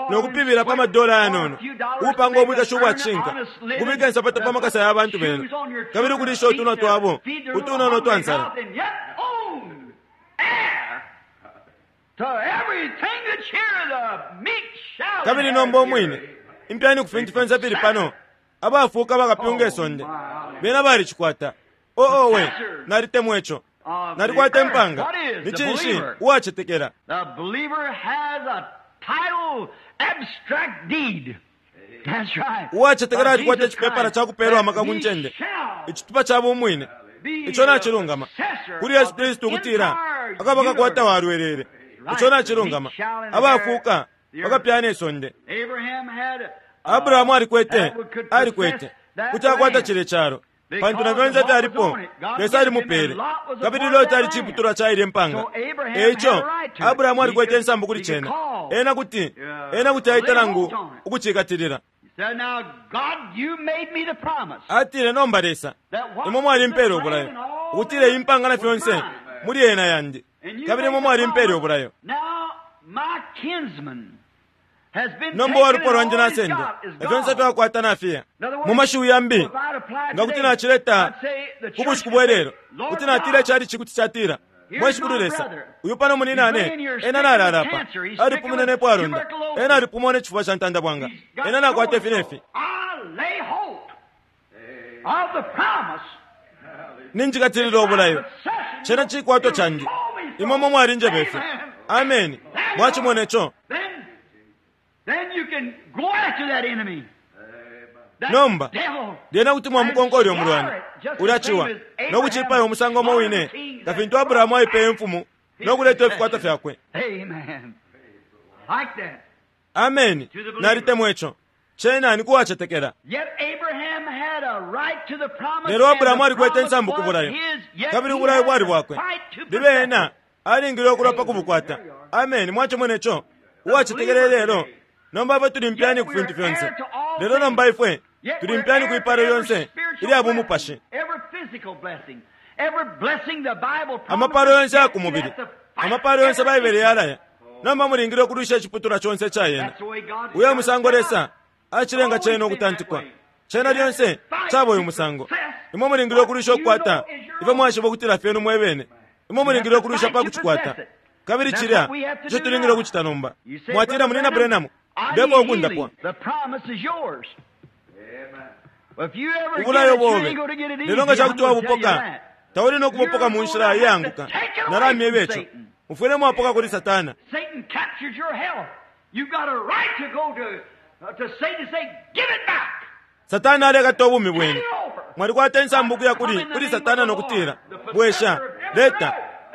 no kupibila pa madola ayanono, ukupanga ubwikashi ubwacishinka, ukubika insapato pa makasa ya bantu benu, kabili ukulisha utunwa twabo utunono twa nsala. Kabili nomba umwine impyani ku fintu fyonse fili pano, abafuuka bakapyunga isonde, bena balicikwata. Oo we, nalitemwa ico. Nalikwata impanga. Ni cinshi uwacetekela? Uwacetekela alikwata icipepala ca kupeelwa amaka ku ncende, icitupa ca bumwine. Ico nacilungama kuli Yesu Kristu ukutila akaba kakwata walwelele. Ico nacilungama. Abafuuka bakapyana isonde. Abrahamu alikwete alikwete kuti akwata cile calo, pantu na fyonse fyalipo Lesa alimupele, kabili Loti ali ciputulwa ca ile mpanga. Eico Abrahamu alikwete insambu kuli cena. Ena kuti ena kuti aita nangu ukucikatilila. Atile, nomba Lesa, imwe mwalimpele ubulayo ukutila iyi mpanga na fyonse muli ena yandi, kabili imwe mwalimpele ubulayo. Nomba uwalupwa lwandi nasendwa na fyonse fyakwata nafiya. Mu mashiwi yambi, nga kuti nacileta ku bushiku bwe lelo, kuti natila icali cikuti catila, mwe Shikulu Lesa, uyu pano muninane ena nalala apa, alipumine nepo alonda, ena alipumwa ne cifuba ca ntanda bwanga, ena nakwata ifi nefi. Ninjikatilila ubulayo, cena cikwatwa candi, imwe mwe mwalinjeba ifi. Amen. Mwacimona ico. Nomba lyena kuti mwamukonka ulya umulwani ulya ciwa no kucipaya umusango umo wine nga fintu Abrahamu aipeye imfumu no kuleta ifikwata fyakwe. Amen. Nalitemwa ico. Cena ni kuwacetekela. Lelo Abrahamu alikwete insambu ku bulayo, kabili ubulayo bwali bwakwe. Libe ena alingile ukulwa pa kubukwata. Ameni. Mwacimona ico? Uwacetekela lelo. Nomba ifwe tuli mpyani ku fintu fyonse. Lelo nomba ifwe tuli mpyani ku ipalo lyonse ilya bumupashi. Amapalo yonse ya ku mubili, amapalo yonse Baibele yalaya. Nomba mulingile ukulwisha iciputulwa conse ca yena. Uyo musango Lesa acilenga cena ukutantikwa. Cena lyonse caba uyu musango. Imwe mulingile ukulwisha ukukwata ifyo mwashiba ukutila fyenu mwebene. Imwe mulingile ukulwisha pa kucikwata. Kabili cilya ico tulingile ukucita nomba. Mwatila, Munina Branham, ndeko ukundapwa. Ubulayo bobe lelo nga cakuti wabupoka, tauli no kubupoka mu nshila iyanguka. Nalamyeba ico. Mufwile mwapoka kuli Satana. Satana alekata ubumi bwenu. Mwalikwata insambu kuya kuli kuli Satana nokutila, bwesha leta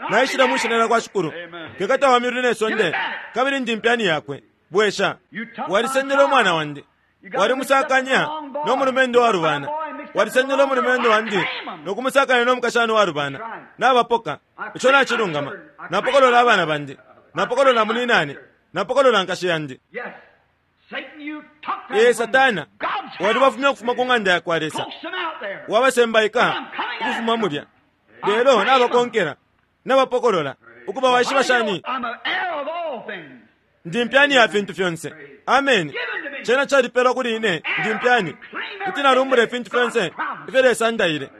naishila mwishina lya kwa Shikulu, kekata wa myulu ne sonde, kabili ndi mpyani yakwe. Bwesha. Walisendele umwana wandi, walimusakanya no mulumendo wa rubana, walisendele umulumendo wandi nokumusakanya no mukashana wa rubana. Nabapoka. Ico nacilungama. Napokolola abana bandi, napokolola muninane, napokolola nkashi yandi. Ee Satana, walibafumya ukufuma ku ng'anda ya kwa Lesa, wabasembaika ukufuma mulya. Lelo nabakonkela, nabapokolola. Ukuba waishiba shani? Ndi mpyani ya fintu fyonse. Ameni. Cena calipelwa kuli ine. Ndi mpyani kuti nalumbula ifintu fyonse ifyo Lesa andaile.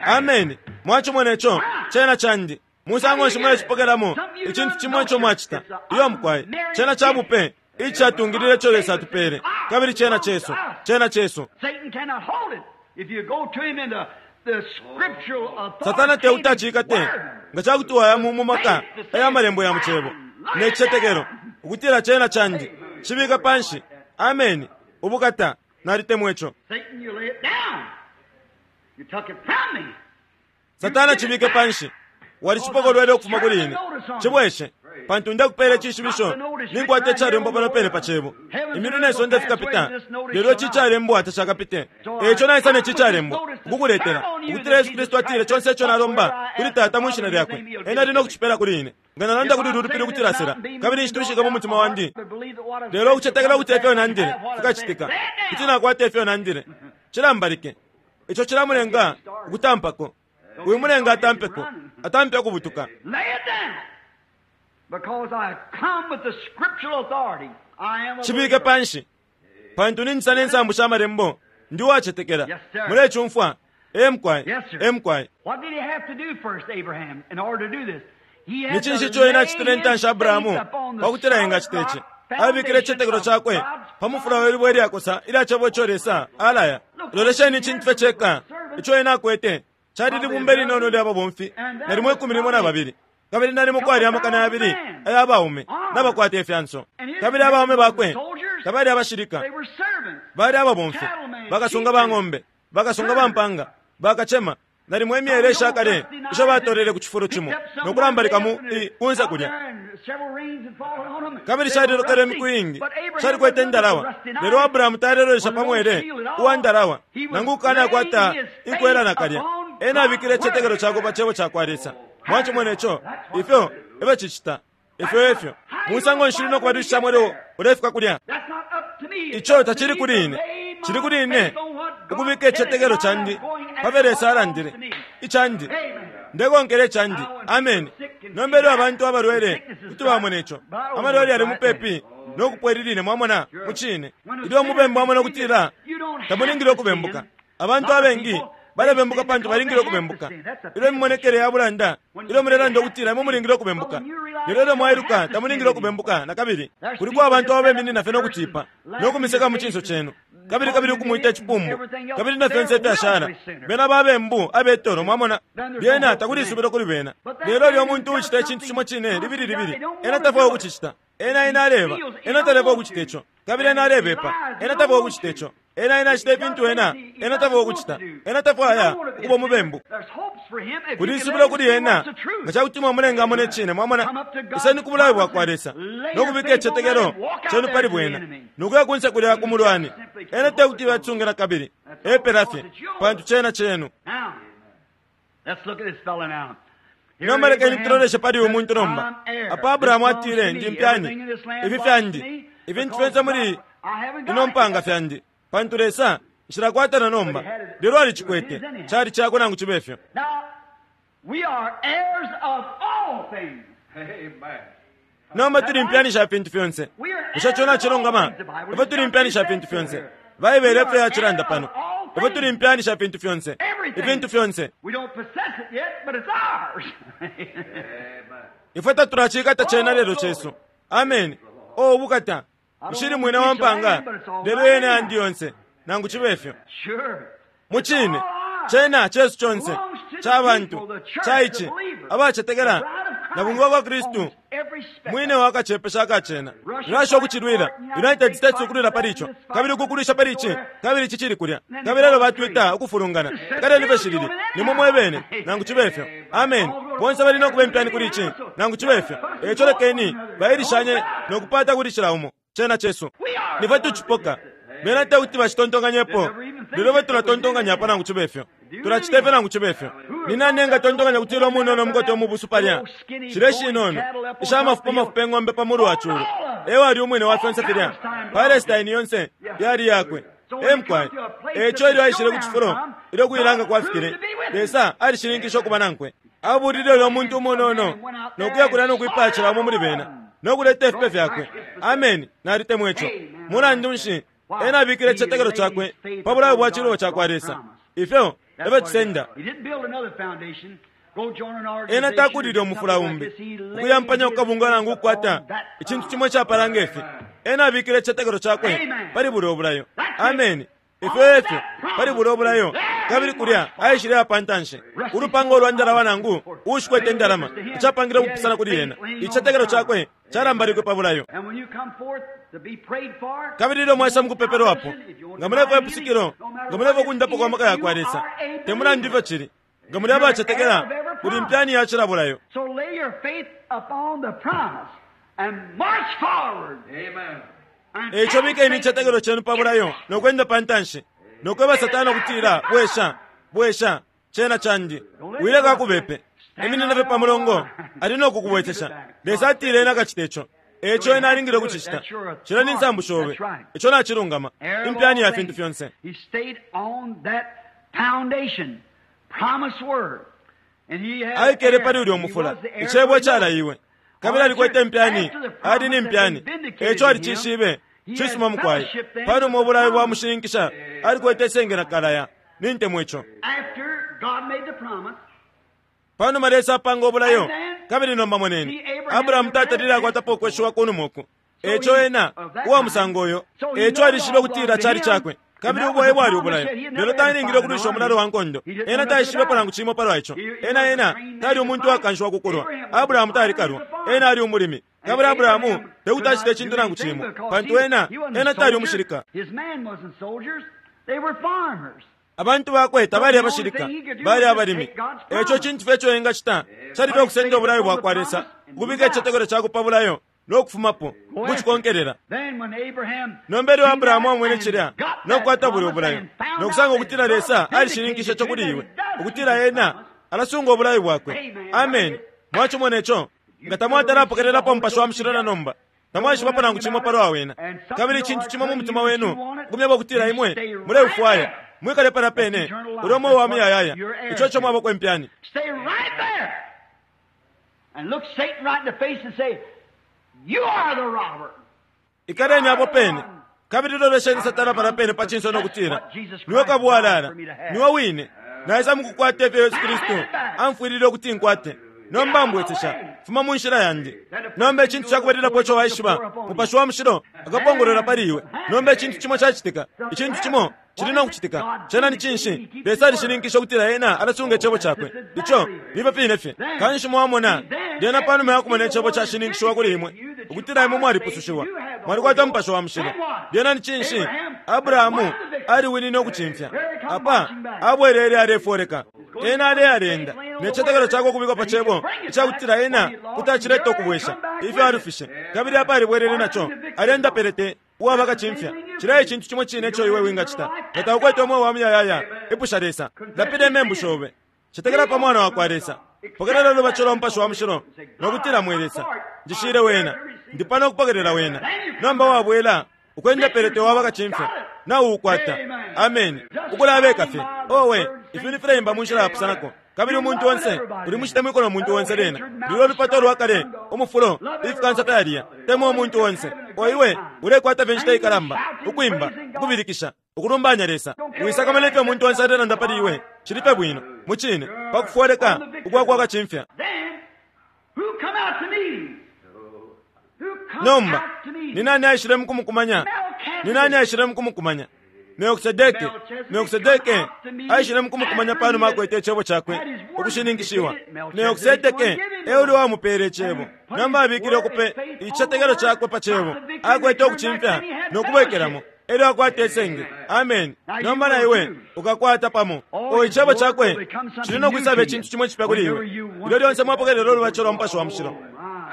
Ameni. Mwacimona ico? Cena candi. Musango nshi mulecipokelamo icintu cimo ico mwacita? Iyo mukwai. Cena ca bupe icatungilile ico Lesa atupele, kabili cena cesu. Cena cesu. Satana teuti acikate nga cakuti waya mu maka aya malembo ya mucebo ne cicetekelo ukutila cena candi. Cibika panshi. Ameni. Ubukata. Nalitemwa ico. Satana, cibike panshi. Walicipokolwele ukufuma kuli ine. Cibweshe, pantu ndakupela icishibisho ninkwata icalembwa pano pene pa cebo. Imyulu ne sonde fikapita, lelo ici icalembwa tacakapite. Eico naisa ne ci icalembwa ukukuletela ukutila Yesu Kristu atile conse ico nalomba kuli Tata mwishina lyakwe, ena ali no kucipela kuli ine. Nga nalanda kuli lulupili ukutila sela, kabili nshitushika mu mutima wandi, lelo ukucetekela ukuti efyo nandile fikacitika, kuti nakwata efyo nandile. Cilambalike. Ico cilamulenga ukutampako. Uyu mulenga atampeko, atampe kubutuka. Cibike panshi, pantu ninjisa ne nsambu sha malembo. Ndi uwacetekela. Mulecumfwa? Emkwai, emkwai. Ni cinshi ico ena acitile intanshi Abrahamu pakutila engacita ici? Abikile icitetekelo cakwe pa mufula we libwe ilyakosa ilya cebo ico Lesa alaya. Lolesheni icintu fye ceka ico ena akwete cali libumba linono lya babomfi nalimo ikumi limo na babili, kabili nalimo kwali amakana yabili aya baume nabakwata ifyanso. Kabili abaume bakwe tabali abashilika, bali ababomfi, bakasunga ba ng'ombe, bakasunga ba mpanga, bakacema. Nalimo imyele ishakale isho batolele ku cifulo cimo nokulambalika mu kunsa kulya. Kabili calilokele imiku iingi, calikwete indalawa. Lelo Abrahamu talelolesha pa mwele uwa ndalawa, nangu ukukanakwata inkwela nakalya. Ena abikile icitetekelo cakwe pa cebo ca kwa Lesa. Mwacimona ico? Ifyo efyo cicita. Ifyo efyo. Musango nshi uli no kubadwisha mwele ulefika kulya? Ico tacili kuli ine. Cili kuli ine ukubika icitetekelo candi pa Lesa alandile. Icandi. Ndekonkela icandi. Ameni. Nomba ilyo abantu abalwele kuti bamona ico. Amalwele yali mupepi no kupwelilile, mwamona mu cine. Ilyo umubembu amona ukutila tamulingile ukubembuka. Abantu abengi balebembuka pantu balingile ukubembuka. Ilyo imimonekele ya bulanda, ilyo mulelanda ukutila imwe mulingile ukubembuka, lelo ilyo mwailuka tamulingile ukubembuka na kabili. Kuliko abantu ababeminina fye no kutipa no kumiseka mu cinso cenu, kabili kabili ukumwita icipumbu, kabili na fyonse ifyashala. Bena babembu abetolo, mwamona. Lyena takuli isubilo kuli bena. Lelo ilyo umuntu ucita icintu cimo cine libili libili, ena tafwaya ukucicita. Ena ena aleba, ena taleba ukucita ico, kabili ena alebepa, ena tafwaya ukucita ico. Ena ena acita ifintu ena, ena tafwaya ukucita. Ena tafwaya ukuba umubembu. Kuli isubilo kuli ena nga cakuti mwamulenga amone cine. Mwamona, iseni ku bulayo bwakwa Lesa nokubika icitetekelo cenu pali bwena nokuya kunse kulya ku mulwani. Ena tekuti batsungila kabili epela fye, pantu cena cenu. Nomba lekeni tuloleshe pali uyu muntu nomba. Apa Abrahamu atile, ndi mpyani, ifi fyandi, ifintu fyonse muli ino mpanga fyandi, pantu Lesa nshilakwatana nomba. Lelo alicikwete, cali cakwe nangu cibe fyo. Nomba tuli mpyani sha fintu fyonse. Bushe ico nacilungama? Ifwe tuli mpyani sha fintu fyonse. Baibele efyo yacilanda pano. Ifwe tuli mpyani sha fintu fyonse, ifintu fyonse. Ifwe tatulacikata cena lelo cesu. Ameni. O ubukata! Nshili mwine wa mpanga, lelo yena yandi yonse, nangu cibe fyo. Mucine cena cesu conse, ca bantu, ca ici abacetekela na bungwa kwa Kristu mwine wakacepesha akacena. Russia ukucilwila, United States ukulwila pali ico, kabili ukukulwisha pali ici, kabili ici cili kulya, kabili elo batwita ukufulungana. Kaleni fye shilili nimwe mwebene, nangu cibe fyo. Amen. Bonse bali nokuba impyani kuli ici, nangu cibe fyo. Eco lekeni bailishanye nokupata kuli cila umo. Cena cesu, nifwe tucipoka. Bena tekuti bacitontonkanyepo, lelo fwe tulatontonkanyapo nangu cibe fyo. Tulacita ifyo nangu cibe fyo. Ni nani engatontonkanya kutila umunono umukote umubusu palya, shile shinono isha mafupa mafupa eng'ombe pa mulu wa culu, ewali umwine wa fyonse filya? Palestine yonse yali yakwe. Emkwai eco ilyo aishile ku cifulo ilyo kuilanga kwafikile, Lesa alishininkisha ukuba nankwe. Abulile ulyo muntu umunono nokuya kulya nokwipaya cila umo muli bena nokuleta ifipe fyakwe. Ameni. Nalitemwa ico. Mulandu nshi ena abikile icitetekelo cakwe pa bulayo bwa cilubo cakwa Lesa? Ifyo efyo cisenda. Ena takulile umufula umbi ukuyampanya kukabunga nangu ukukwata icintu cimo icapala ngefi. Ena abikile icitetekelo cakwe pali bulya obulayo. Ameni. Ifyo efyo pali bulya obulayo, kabili kulya aishile apantanshi ulupanga olwa ndalama nangu uushikwete indalama, icapangile ukupusana kuli ena. Icitetekelo cakwe calambalikwe pa bulayo. Kabili ilyo mwaisa mukupepelwapo, nga mulefwaya ipusukilo, nga mulefwaya ukundapo kwa maka yakwa Lesa, te mulandu ifyo cili, nga muli abacetekela, kuli mpyani ya cila bulayo. Eco bikeni icitetekelo cenu pa bulayo nokwenda pantanshi, nokweba Satana ukutila, bwesha, bwesha, cena candi, wileka akubepe. Iminina fye pa mulongo, ali nokukubwesesha. Lesa atile ena akacita ico, eco ena alingile ukucicita. Cila ni nsambu shobe, ico nacilungama, impyani ya fintu fyonse. Aikele pali ulya umufula, icebo icalaiwe, kabili alikwete impyani, ali ni mpyani, eco alicishibe. Cisuma mukwai. Panuma ubulayo bwamushininkisha, alikwete isenge na kalaya. Nintemwa ico. Panuma Lesa apanga obulayo, kabili nomba moneni, Abrahamu tatalile akwatapo ukweshiwa kunuma uku. Eco ena uwa musango uyo, eco alishibe ukutila cali cakwe, kabili ubwaye bwali ubulayo. Lelo talingile ukulwisha umulalo wa nkondo. Ena taishibepo nangu cimo palwa ico. Ena ena tali umuntu wakanshiwa kukulwa. Abrahamu talikalwa, ena ali umulimi. Kabili Abrahamu tekuti acite icintu nangu cimo, pantu ena ena tali umushilika. Abantu bakwe tabali abashilika, bali abalimi. Eco cintu fye ico engacita cali fye ukusenda ubulayo bwakwa Lesa, ukubika icitetekelo cakwe pa bulayo nokufumapo ukucikonkelela. Nomba ilyo Abrahamu amwene cilya nokukwata bulya obulayo, nokusanga ukutila Lesa alishininkisha ico kuli iwe, ukutila ena alasunga obulayo bwakwe. Ameni. Mwacimona ico? Nga tamwatalapokelelapo Mupashi wa Mushilo na nomba, tamwaishibapo nangu cimo palwa wena, kabili icintu cimo mu mutima wenu ukumyeba ukutila imwe muleufwaya, mwikale palya pene, ulyo umweo wa muyayaya, ico ico mwabako impyani. Ikaleni apo pene, kabili lolesheni Satana palya pene pa cinso nokutila, niwe kabwalala, niwe wine, naisa mukukwata ifyo Yesu Kristu amfwilile ukuti nkwate. Nomba mbwesesha, fuma mu nshila yandi. Nomba icintu cakubalilapo ico waishiba, Mupashi wa Mushilo akapongolola pali iwe. Nomba icintu cimo cacitika, icintu cimo cili nokucitika. Cena ni cinshi? Lesa alishininkisha ukutila ena alasunga icebo cakwe. Ico nifyo fine fye. Kanshi mwamona, lyena panuma ya kumona icebo cashininkishiwa kuli imwe, ukutila imwe mwalipusushiwa, mwalikwata Mupashi wa Mushilo. Lyena ni cinshi? Abrahamu aliwinine ukucimfya. Apa abwelele alefoleka. Ena alealenda ne citetekelo cakwe ukubikwa pa cebo icakutila ena kuti acileta ukubwesha ifyo alufishe, kabili apa alibwelele naco, alenda pelete uwaba kacimfya. Cila icintu cimo cine ico iwe wingacita nga taukwete umweo wa muyayaya, ipusha Lesa, lapila imembu shobe, cetekela pa Mwana wakwa Lesa, pokelela ulubatisho lwa Mupashi wa Mushilo no kutila, mwe Lesa, njishile wena, ndi pano ukupokelela wena. Nomba wabwela ukwenda pelete waba kacimfya nauukwata. Ameni. Ukulabeka fye owe ifintu fileimba mu nshila yapusanako, kabili umuntu onse uli mucitemwiko no muntu onse. Lena lulyo lupato lwa kale, umufulo, ifikansa fyaliya. Temwa umuntu onse. Oiwe ulekwata fye inshita ikalamba ukwimba, ukubilikisha, ukulumbanya Lesa. Wisakamana ifyo umuntu onse alelanda pali iwe, cili fye bwino mucine pakufoleka ukwakwa kacimfya. Nomba ni nani aishile mukumukumanya? Ni nani aishile mukumukumanya? Melkisedeke. Melkisedeke aishile mukumukumanya panuma akwete icebo cakwe ukushininkishiwa. Melkisedeke euli wamupele icebo. Nomba abikile ukupe icitetekelo cakwe pa cebo, akwete ukucimfya no kubwekelamo, elyo akwata isenge. Amen. Nomba na iwe ukakwata pamo. O icebo cakwe cili no kwisaba icintu cimo icipya kuli iwe ilyo lyonse mwapokelela ulubatisho lwa Mupashi wa Mushilo.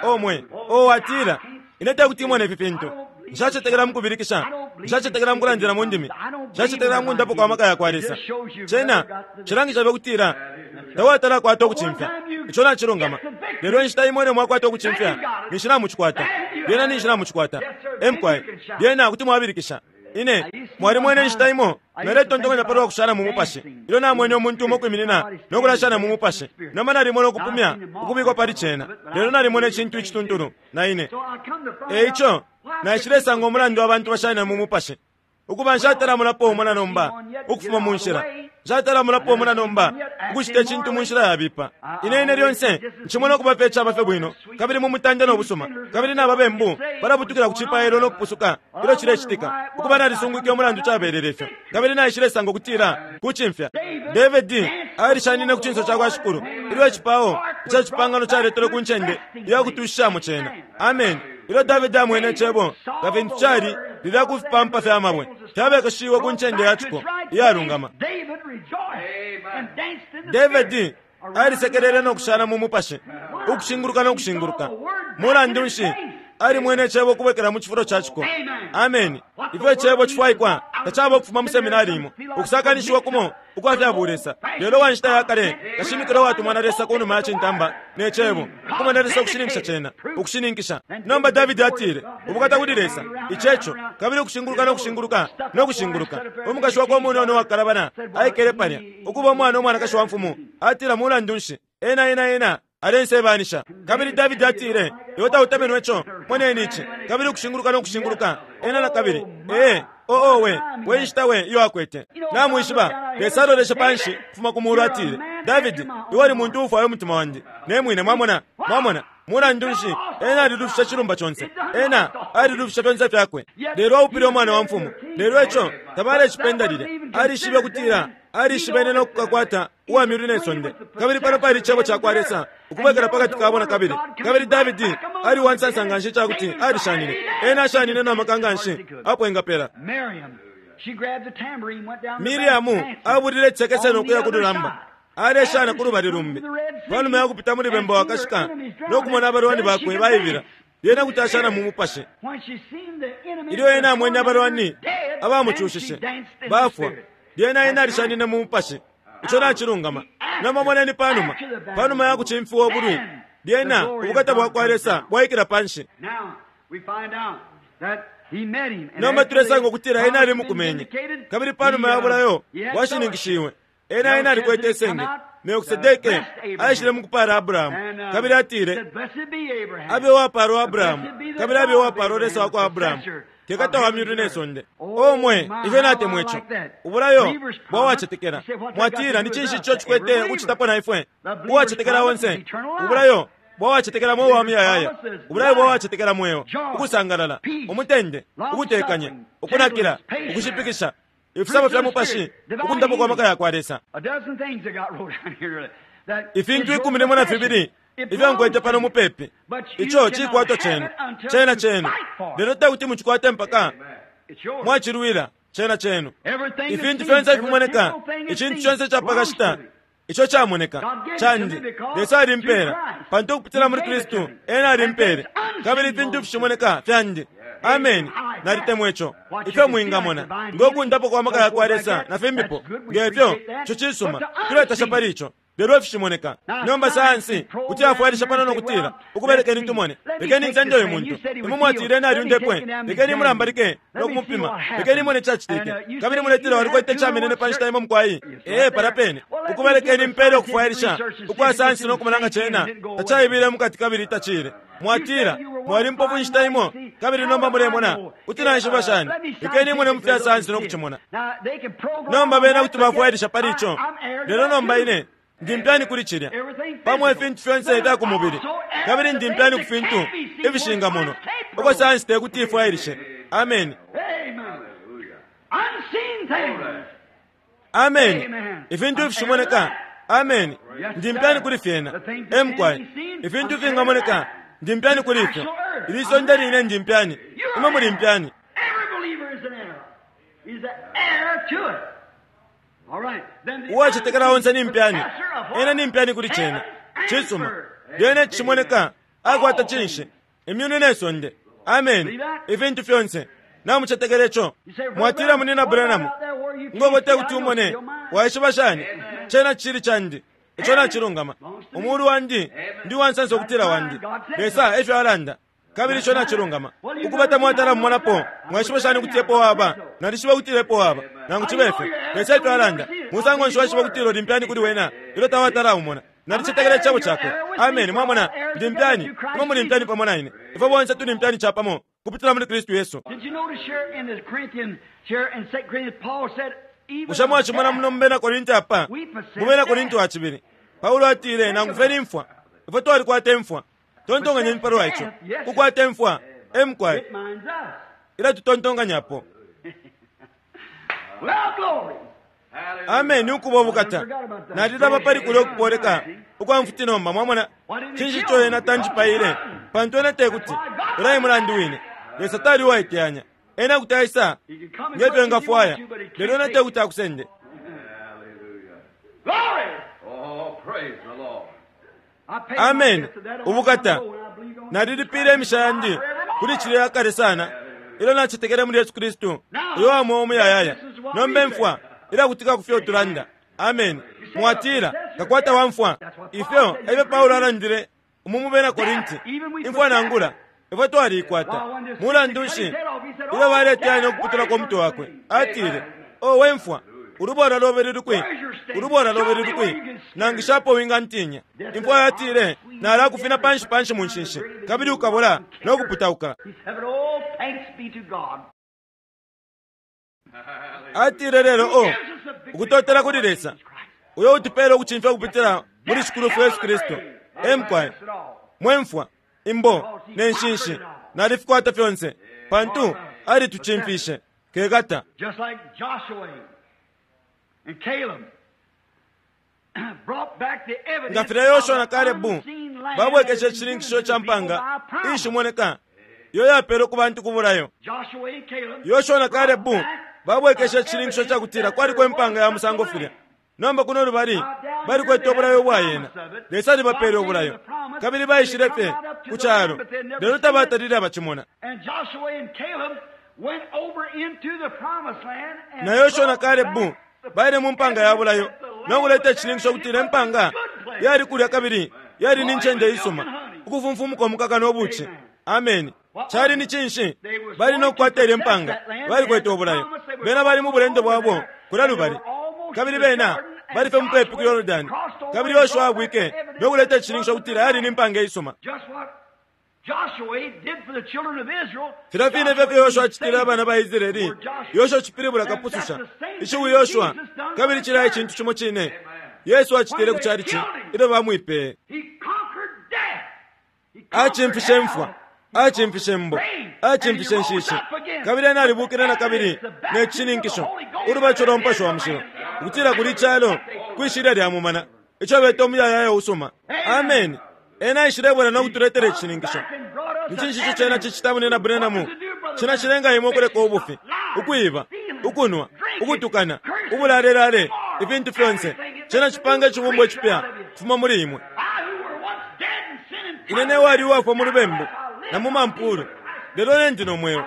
Omwe o atila, ine tekuti imone ifi fintu, nshacetekela mukubilikisha, nshacetekela mukulandila mu ndimi, nshacetekela mukundapo kwa maka yakwa Lesa. Cena cilangisha fye kutila tawatala kwata ukucimfya. Ico nacilungama. Lelo inshita imwe ilyo mwakwata ukucimfya, ninshi namucikwata. Lyena ninshi namucikwata. Emkwai lyena kuti mwabilikisha. Ine mwalimwene inshita imo naletontonkanya palwa kushana mu mupashi, ilyo namwene umuntu umo kwiminina no kulashana mu mupashi. Nomba nalimwene ukupumya ukubikwa pali cena, lelo nalimwene icintu icituntulu na ine. E ico naishilesanga umulandu abantu bashanina mu mupashi. Ukuba nshatala umo na nomba ukufuma mu nshila, nshatala umo na nomba ukucita icintu mu nshila yabipa. Ine ine lyonse ncimona ukuba fye icaba fye bwino kabili mu mutande no busuma, kabili na babembu balabutukila ku cipailo no kupusuka ilyo cilecitika. Ukuba nalisungwike umulandu cabelele ifyo, kabili naishilesanga ukutila kucimfya. Davidi alishanine ku cinso ca kwa Shikulu ilyo icipao ica cipangano caletelwe ku ncende iya kutushishamo cena. Amen. Ilyo Davidi amwene icebo nga fintu cali lilya ku fipampa fya mabwe fyabekeshiwe ku ncende ya ciko iyalungama, Davidi alisekelele no kushana mu mupashi, ukushinguluka no kushinguluka. Mulandu nshi? Alimwene icebo ukubwekela mu cifulo ca ciko. Amen. Ifyo icebo cifwaikwa tacaba ukufuma mu seminari imo, ukusakanishiwa kumo ukwa fya bulesa, lelo wa nshita ya kale kashimikilo watumwa na Lesa ku numa ya cintamba ne cebo, ukumona Lesa ukushininkisha cena, ukushininkisha. Nomba Davidi atile, ubukata kuli Lesa, iceco, kabili ukushinguluka no kushinguluka no kushinguluka. Umukashi wakwe umunono wakalabana aikele palya, ukuba umwana umwanakashi wa mfumu, atila, mulandu nshi, ena ena ena alensebanisha. Kabili Davidi atile, iwe tautamenwe ico, moneni ici, kabili ukushinguluka no kushinguluka ena na kabili. Ee, oo we, we nshita we iyo akwete. Namwishiba, Lesa aloleshe panshi kufuma ku mulu, atile, Davidi, iwe uli muntu uufwaya umutima wandi ne mwine. Mwamona, mwamona, mulandu nshi, ena alilufisha cilumba conse, ena alilufisha fyonse fyakwe, lelo aupile umwana wa mfumu. Lelo ico tabalecipenda lilya. Alishibe kutila alishibene no kukakwata uwa myulu ne sonde, kabili pano pali icebo ca kwa Lesa ukubwekela pakati kabo na kabili. Kabili Davidi ali uwansansa nganshi icakuti alishanine. Ena ashanine na maka nganshi apo engapela. Miriamu abulile icekese no kuya ku lulamba, aleshana ku lubali lumbi. Panuma ya kupita muli bemba wakashika no kumona abalwani bakwe baibila, lyena kuti ashana mu mupashi. Ilyo ena amwene abalwani abamucushishe bafwa, lyena ena alishanine mu mupashi. Ico nacilungama. Nomba moneni panuma, panuma ya kucimfiwa ubulwi, lyena ubukata bwa kwa Lesa bwaikila panshi. Nomba tulesanga ukutila ena ali mukumenye, kabili panuma ya bulayo bwashininkishiwe, ena ena alikwete isenge. Melkisedeke aishile mukupala Abrahamu, kabili atile, abe wapalwa Abrahamu, kabili abe wapalwa Lesa wa kwa Abrahamu, kekata wa myulu ne sonde. Omwe, ifyo natemwa ico. Ubulayo bwa wacetekela. Mwatila, ni cinshi ico cikwete ukucitapo na ifwe? Uwacetekela onse. Ubulayo bwa wacetekela mweo wa muyayaya. Ubulayo bwa wacetekela mweo, ukusangalala, umutende, ukutekanya, ukunakila, ukushipikisha, ifisabo fya mupashi, ukundapo kwa maka ya kwa Lesa. Ifintu ikumi limo na fibili ifyo nkwete pano mupepi, ico cikwato cenu, cena cenu, lelo tekuti mucikwate mpaka mwacilwila. Cena cenu. Ifintu fyonse ifimoneka, icintu conse capakashita Ico camoneka candi, Lesa alimpela pantu ukupitila muli Kristu ena alimpele, kabili ifintu fishimoneka fyandi. Ameni. Nalitemwa ico. Ifyo mwingamona ngo kundapo kwa maka yakwa Lesa na fimbipo ngefyo, ico cisuma, tuletasha pali ico. Lelo ifishimoneka nomba sayansi kuti afwailisha pano nokutila ukubelekeni tumone, lekeni nsende uyu muntu, imwe mwatile nalyundepwe, lekeni mulambalike nokumupima, lekeni mone cacitike, kabili muletila walikwete camenene pa nshita imo mukwai. Ee, palya pene ukubelekeni mpele ukufwailisha ukwa sayansi nokumona nga cena tacaibile mukati kabili tacile. Mwatila mwali mpofu nshita imo, kabili nomba mulemona kuti naishiba shani? Lekeni mone mufya sayansi nokucimona. Nomba bena kuti bafwailisha pali ico, lelo nomba ine ndi mpyani kuli cilya pamo ifintu fyonse ifya ku mubili, kabili ndi mpyani ku fintu ifishingamonwa uko sayansi tekuti ifwailishe. Ameni. Ameni. Ifintu ifishimoneka. Ameni. Ndi mpyani kuli fyena. Emkwai ifintu ifingamoneka, ndi mpyani kuli ifyo. Ili sonde line ndi mpyani, imwe muli mpyani. Uwacetekela onse ni mpyani, ena ni mpyani kuli cena. Cisuma. Lyene cishimoneka akwata cinshi? Imyulu ne sonde. Ameni. Ifintu fyonse. Namucetekela ico. Mwatila munina Branham, ngobo tekuti umone, waishiba shani? Cena cili candi. Ico nacilungama. Umulu wandi ndi wansansa ukutila wandi. Lesa efyo alanda. Kabili ico nacilungama. Ukubata mwatala mumonapo, mwaishiba shani kuti epo waba? Nalishiba kuti epo waba. Nangu cibe ifyo, Lesa efyo alanda. Musango nshi waishiba kuti uli mpyani kuli wena ilyo tawatala umona? Nalicetekela icebo cakwe. Ameni. Mwamona, ndi mpyani, imwe muli mpyani pamo na ine. Ifwe bonse tuli mpyani capamo kupitila muli Kristu Yesu. Bushe mwacimona muno mu Bena Korinti apa? Mu Bena Korinti wa cibili, Paulo atile, nangu fye ni mfwa, ifwe twalikwata imfwa. Tontonkanyeni palwa ico. Kukwata imfwa, emkwai ilatutontonkanyapo. Ameni. Ukuba ubukata. Nalilaba pali kulya ukupoleka ukwa mfuti nomba. Mwamona cinshi ico ena tanjipaile? Pantu ena tekuti ulaye mulandu wine. Lesa tali uwaiteyanya. Ena kuti aisa ngefyo engafwaya, lelo ena tekuti akusende. Ameni. Ubukata. Nalilipile imisha yandi kuli cilya yakale sana ilyo nacetekele muli Yesu Kristu uyo wamweo umuyayaya. Nomba imfwa ilakutika kufyo tulanda. Ameni. Mwatila kakwata wamfwa. Ifyo efyo Paulo alandile umu mu Bena Korinti, imfwa nangula ifwe twaliikwata. Mulandu nshi ilyo baleteyanya ukuputulako umutwe wakwe, atile, o we mfwa, ulubola lobe luli kwi? Ulubola lobe luli kwi? Nangishapo wingantinya. Imfwa yatile, nalakufina panshi panshi mu nshinshi, kabili ukabola no kuputauka. Atile lelo, o ukutotela kuli Lesa uyo utupela ukucimfya ukupitila muli Shikulu Yesu Kristu. Emkwai mwemfwa, imbo ne nshinshi nalifikwata fyonse, pantu alitucimfishe. Kekata. Just like Joshua and Caleb brought back the evidence nga filya Yoshua na of the Kalebu unseen land babwekeshe that had been icishininkisho given ca to the people mpanga by promise. iishimoneka iyo yapelwe ku bantu ku bulayo. Joshua and Caleb Yoshua na Kalebu brought back babwekeshe the icishininkisho evidence ca kutila that kwaliko there impanga was ya such a musango land. filya. Nomba kuno lubali balikwete obulayo bwayena. Lesa alibapele obulayo, kabili baishile fye ku calo, lelo tabatalile abacimona. And Joshua and Caleb went over into the promised land and Na Yoshua na brought Kalebu back the baile mu mpanga ya bulayo evidence that the land nokuleta was icishininkisho there kutila and it was impanga a good place. yali kulya kabili yali ni ncende isuma, ukufumfumuka umukaka n'obuki. Ameni. Cali ni cinshi? Bali nokukwata ilya impanga, balikwete obulayo. Bena bali mu bulendo bwabo kulya lubali, kabili bena bali fye mupepi ku Yorodani, kabili Yoshua abwike nokuleta icishininkisho kutila yali ni mpanga isuma. Just what Joshua did for the children of Israel. Filya fine fye fyo Yoshua acitile abana ba Israeli. Yoshua cipilibula kapususha. Ishiwi Yoshua kabili cilaya icintu cimo cine Yesu acitile ku calici ilyo bamwipeye. He conquered death. He conquered Acimfishe hell. imfwa, acimfishe mbo, acimfishe nshishi, kabili ena alibukile na kabili ne cishininkisho ulubatisho lwa Mupashi wa Mushilo ukutila kuli calo kwishilya lya mumana ico beta umuyayaya usuma. Ameni. Ena aishilebwela no kutuletela icishininkisho. Ni cinshi ico cena cicita munena Branham? Cena cilenga imwe ukuleka ubufi, ukwiba, ukunwa, ukutukana, ubulalelale, ifintu fyonse. Cena cipanga icibumbwa icipya kufuma muli imwe. Ine ne wali uwafwa mu lubembu na mu mampulu, lelo ne ndi no mweo.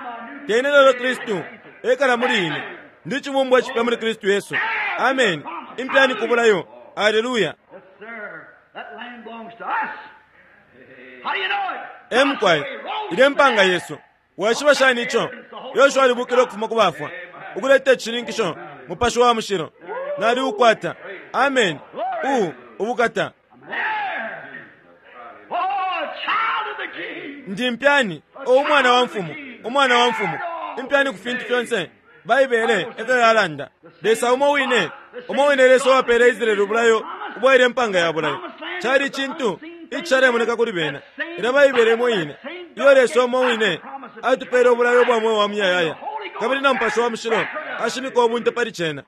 Te ine lelo Kristu ekala muli ine. Ndi cibumbwa icipya muli Kristu Yesu. Amen. Impyani kubulayo. Haleluya. Emkwai ile mpanga Yesu. Waishiba shani ico? Yoshua alibukile ukufuma ku bafwa ukuleta icishininkisho Mupashi wa Mushilo. Nali ukwata. Amen. U ubukata. Ndi mpyani o umwana wa mfumu, umwana wa mfumu. Impyani ku fintu fyonse. Baibele efyo yalanda. Lesa umo wine, umo wine Lesa wapele Israeli ubulayo ubwaile mpanga ya bulayo. Cali cintu icalemoneka kuli bena. Ila Baibele imo ine. Iyo Lesa umo wine atupele ubulayo bwa mweo wa muyayaya. Kabili na Mupashi wa Mushilo ashimika ubunte pali cena.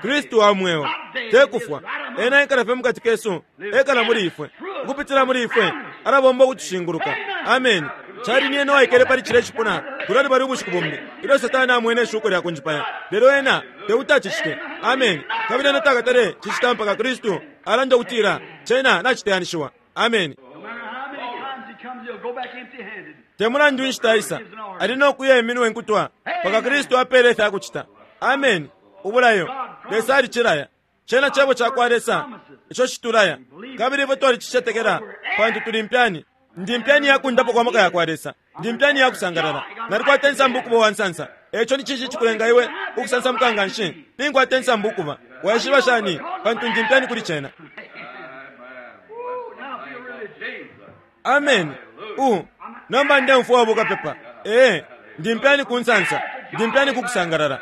Kristu wa mweo tekufwa. Ena ekala fye mukati kesu, ekala muli ifwe. Ukupitila muli ifwe alabomba ukutushinguluka. Amen. Cali ni ena waikele pali cile cipuna kulali bali ubushiku bumbi ilyo Satani amwene ishuko lya kunjipaya, lelo ena tekuti. Amen. Kabili ena takatale cicita mpaka Kristu alanda ukutila cena naciteyanishiwa. Amen. Te mulandu inshita isa ali no kuya iminwe nkutwa mpaka Kristu apele ifya kucita. Amen. Ubulayo Lesa alicilaya. Cena cebo cakwa Lesa ico citulaya, kabili ifwe twalicicetekela pantu tuli mpyani. Ndi mpyani yakundapo kwa maka yakwa Lesa. Ndi mpyani yakusangalala. Nalikwata insambu ukuba wansansa. Eco ni cinshi cikulenga iwe ukusansamuka nga nshi? Ninkwata insambu ukuba. Waishiba shani? Pantu ndi mpyani kuli cena. Amen. U nomba ndemfwa wabukapepa. Ee, ndi mpyani ku nsansa. Ndi mpyani ku kusangalala.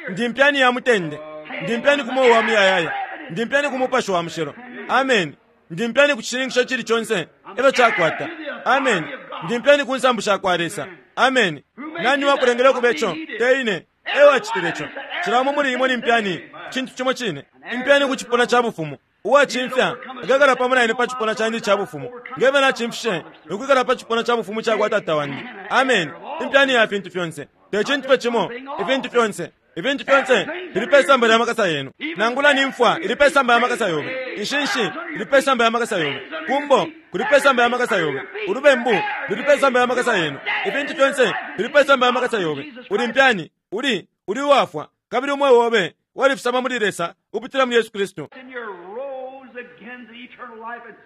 Ndi mpyani ya mutende. Ndi mpyani ku moyo wa muyayaya. Ndi mpyani ku Mupashi wa Mushilo. Amen. Ndi mpyani ku cishininkisho cili conse efyo cakwata. Amen. Ndi mpyani ku nsambu shakwa Lesa. Amen. Nani wakulengele ukuba ico? Te ine. Ewacitile ico. Cilamo muli imwe ni mpyani cintu cimo cine. Impyani ku cipuna ca bufumu. Uwacimfya akekala pamo na ine pa cipuna candi ca bufumu, ngeve nacimfishe ukwikala pa cipuna ca bufumu cakwa Tata wandi. Amen. Impyani ya fintu fyonse. Te cintu fye cimo, ifintu fyonse. Ifintu fyonse fili pe samba lya makasa yenu. Nangula ni mfwa ili pe samba ya makasa yobe. Inshinshi ili pe samba ya makasa yobe. Kumbo kuli pe samba ya makasa yobe. Ulubembu luli pe samba ya makasa yenu. Ifintu fyonse fili pe samba ya makasa yobe. Uli mpyani, uli uli uwafwa, kabili umweo wobe walifisama muli Lesa upitila mu Yesu Kristu.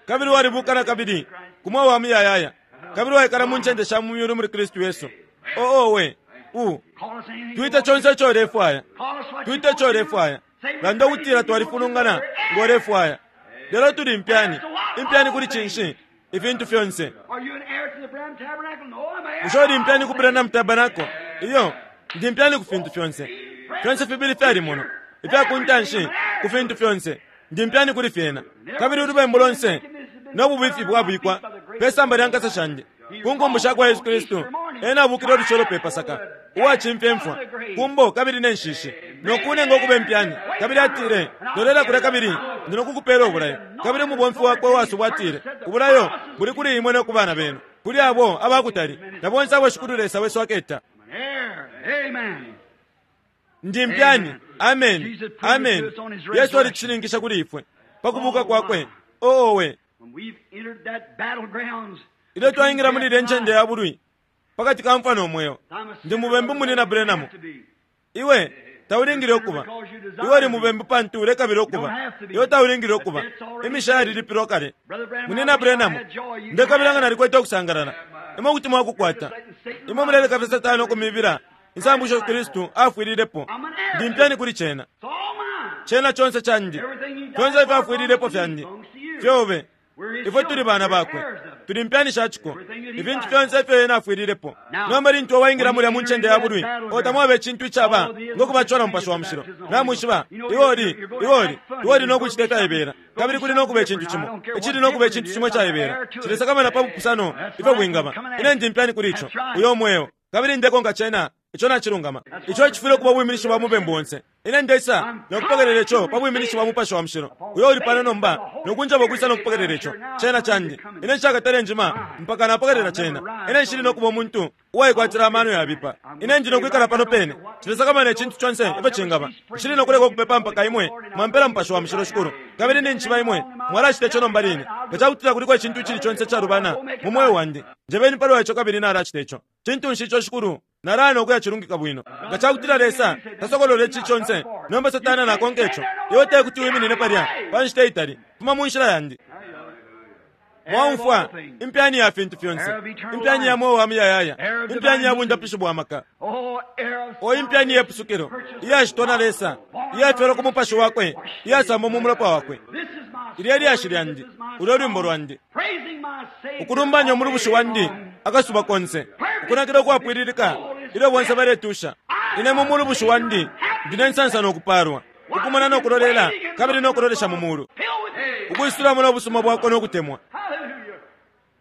Kabili walibukana kabili kumwe wa muyayaya. Kabili waikala mu ncende sha mu myulu muli Kristu Yesu. Oo we u twite chonse ico ulefwaya. Twite ico ulefwaya. Landa ukutila twalifulungana ngo ulefwaya. Lelo tuli impyani. Impyani kuli cinshi? Ifintu fyonse. Bushe uli impyani ku Branham Tabernacle? Iyo, ndi impyani ku fintu fyonse. Fyonse fibili fyali muno. Ifya kuntanshi ku fintu fyonse. Ndi mpyani kuli fyena. Kabili ulubembu lonse no bubifi bwabikwa pe samba lya nkasa shandi. Ku nkumbu shakwa Yesu Kristu ena abukile olucelo pe Pasaka uwacimfya imfwa kumbo kabili ne nshishi nokunenga ukuba impyani. Kabili atile, lolela kulya kabili ndi nokukupela ubulayo. Kabili umubomfi wakwe uwasubwa atile, ubulayo buli kuli imwe no ku bana benu, kuli abo abakutali na bonse abo Shikulu Lesa wesu aketa. Ndi mpyani. Amen. Amen. Yesu alicishininkisha kuli ifwe pa kubuka kwakwe. Oo we. Ilyo twaingira muli ile ncende ya bulwi pakati ka mfwa no mweo, ndi mubembu muni na Branham. Iwe taulingile ukuba. Iwe uli mubembu pantu ulekabila ukuba. Iwe taulingile ukuba. Imishali ilipilwa kale. Muni na Branham, ndekabila nga nalikwete okusangalala. Imwe kuti mwakukwata. Imwe muleleka Satani okumibila insambu isho Kristu afwililepo. Ndi mpyani kuli cena. Cena chonse chandi. Fyonse ifyo afwililepo fyandi. Fyobe. Ifwe tuli bana bakwe. Tuli mpyani shachiko. Ifintu fyonse ifyo ena afwililepo. Nomba lintu waingira mulya mu ncende ya bulwi, otamwabe icintu icaba ngokubachola Mupashi wa Mushilo. Namwishiba, iwe uli, iwe uli, iwe uli nokucita ifyaibela. Kabili kuli nokuba icintu cimo. Icili nokuba icintu cimo icaibela. Cilesakamana pa bupusano ifyo bwingaba. Ine ndi mpyani kuli ico. Uyo mweo. Kabili ndekonka cena. Ico nacilungama. Ico ecifwile ukuba ubwiminishi bwa mubembu onse. Ine ndeisa nokupokelela ico pa bwiminishi bwa Mupashi wa Mushilo uyo uli pano nomba nokunjeba ukwisa nokupokelela ico. Cena candi. Ine nshakatale njima mpaka napokelela cena. Ine nshili nokuba umuntu uwaikwatila amano yabipa. Ine ndi nokwikala pano pene. Nshilisakamana icintu conse ifyo cingaba. Nshili nokuleka ukupepa mpaka imwe mwampela Mupashi wa Mushilo, Shikulu. Kabili ninjiba imwe mwalacita ico nomba line. Nga cakutila kuliko icintu icili conse icalubana mu mweo wandi, njebeni palwa ico kabili nalacita ico. Cintu nshi ico, Shikulu? Nalaya ukuya cilungika bwino. Nga cakutila Lesa tasokolola ici conse, nomba Satana nakonka ico. Iwe tekuti wiminine palya pa nshita itali. Fuma mu nshila yandi. Mwaumfwa impyani ya fintu fyonse, impyani ya mweo wa muyayaya, impyani ya bundapishi bwa maka, o impyani yepusukilo iyashitwa na Lesa, iyafyalwa ku Mupashi wakwe, iyasambwa mu mulopa wakwe. Ilyo lyashi lyandi, ulyo lwimbo lwandi, ukulumbanya umulubushi wandi akasuba konse, ukunakila ukwapwililika ilyo bonse baletusha. Ine mu mulubushi wandi ndine nsansa nokupalwa, ukumona nokulolela kabili nokulolesha mu mulu, ukwisulamo nobusuma bwakwe nokutemwa.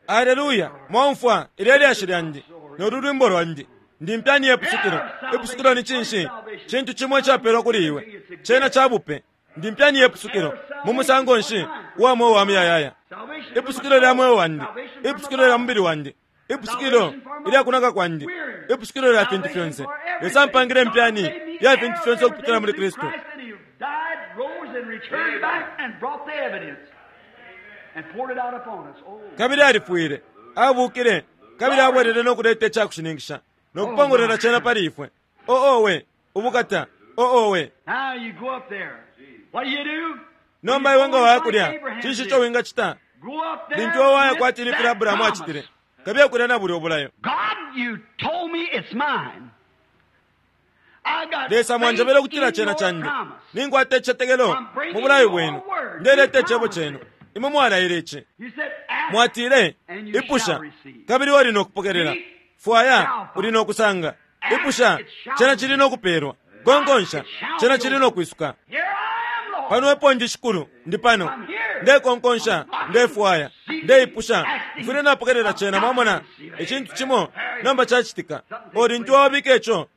Aleluya! Mwaumfwa ilyo lyashi lyandi nolu lwimbo lwandi. Ndi mpyani yepusukilo. Ipusukilo ni cinshi? Cintu cimo icapelwa kuli iwe, cena ca bupe. Ndi mpyani yepusukilo mu musango nshi uwa mweo wa muyayaya. Ipusukilo lya mweo wandi, ipusukilo lya mubili wandi, ipusukilo ilya kunaka kwandi, ipusukilo lya fintu fyonse. Lesa mpangile mpyani ya fintu fyonse ukupitila muli Kristu. Kabili alifwile, abukile, kabili abwelele nokuleta icakushininkisha nokupongolola cena pali ifwe. O owe, ubukata, o owe. Nomba iwe nga waya kulya, cinshi ico wingacita? Lintu iwe waya kwati ni filya Abrahamu acitile, kabiye kulya na bulya obulayo. Lesa mwanjebele ukutila cena candi. Ninkwata icicetekelo mu bulayo bwenu. Ndeleta icebo cenu. Imwe mwalaile ici. Mwatile, ipusha, kabili uli nokupokelela. Fwaya, uli nokusanga. Ipusha, cena cili nokupelwa. Konkonsha, cena cili nokwisuka. Pano epo ndi, Shikulu, ndi pano. Ndekonkonsha, ndefwaya, ndeipusha, mfwile napokelela cena. Mwamona icintu cimo nomba cacitika. O lintu wabika ico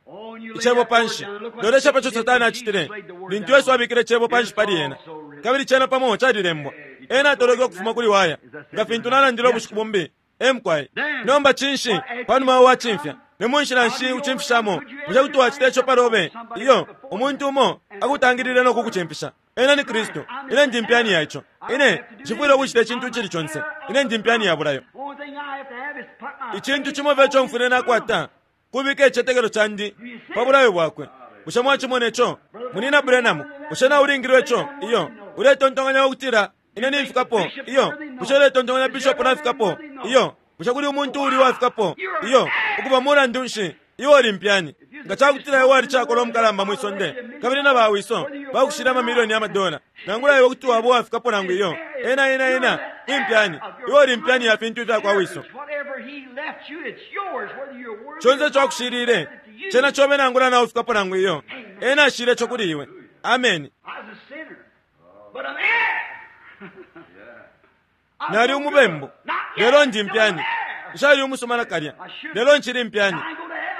icebo panshi, lolesha paco Satana acitile lintu Yesu abikile icebo panshi pali ena, kabili cena pamo calilembwa. Ena atoloke ukufuma kuli waya, nga fintu nalandile ubushiku bumbi. Emkwai. Nomba cinshi panuma wacimfya? Ni mu nshila nshi ucimfishamo? Bushe kuti wacita ico palobe? Iyo, umuntu umo akutangilile nokukucimfisha. Ena ni Kristu. Ine ndi mpyani ya ico. Ine nshifwile ukucita icintu icili conse. Ine ndi mpyani ya bulayo. Icintu cimo fye ico mfwile nakwata kubika icicetekelo candi pa bulayo bwakwe. Bushe mwacimona ico? Munina Branham, bushe naulingilwe ico? Iyo. Uletontonkanya ukutila ine nimfikapo? Iyo. Bushe uletontonkanya bishop nafikapo? Iyo. Bushe kuli umuntu uli wafikapo? Iyo. Ukuba mulandu nshi iwe uli mpyani? Nga cakutila iwe walicakolwa umukalamba mwisonde, kabili na bawiso bakushila amamilioni ya madola, nangula iwe kuti waba uwafikapo nangu iyo, ena ena ena impyani. Iwe uli mpyani ya fintu ifya kwa wiso. Conse ico akushilile cena cobe nangula naufikapo nangu iyo, ena ashile ico kuli iwe. Ameni. Nali umubembu, lelo ndi mpyani. Nshali umusuma nakalya, lelo nchili mpyani.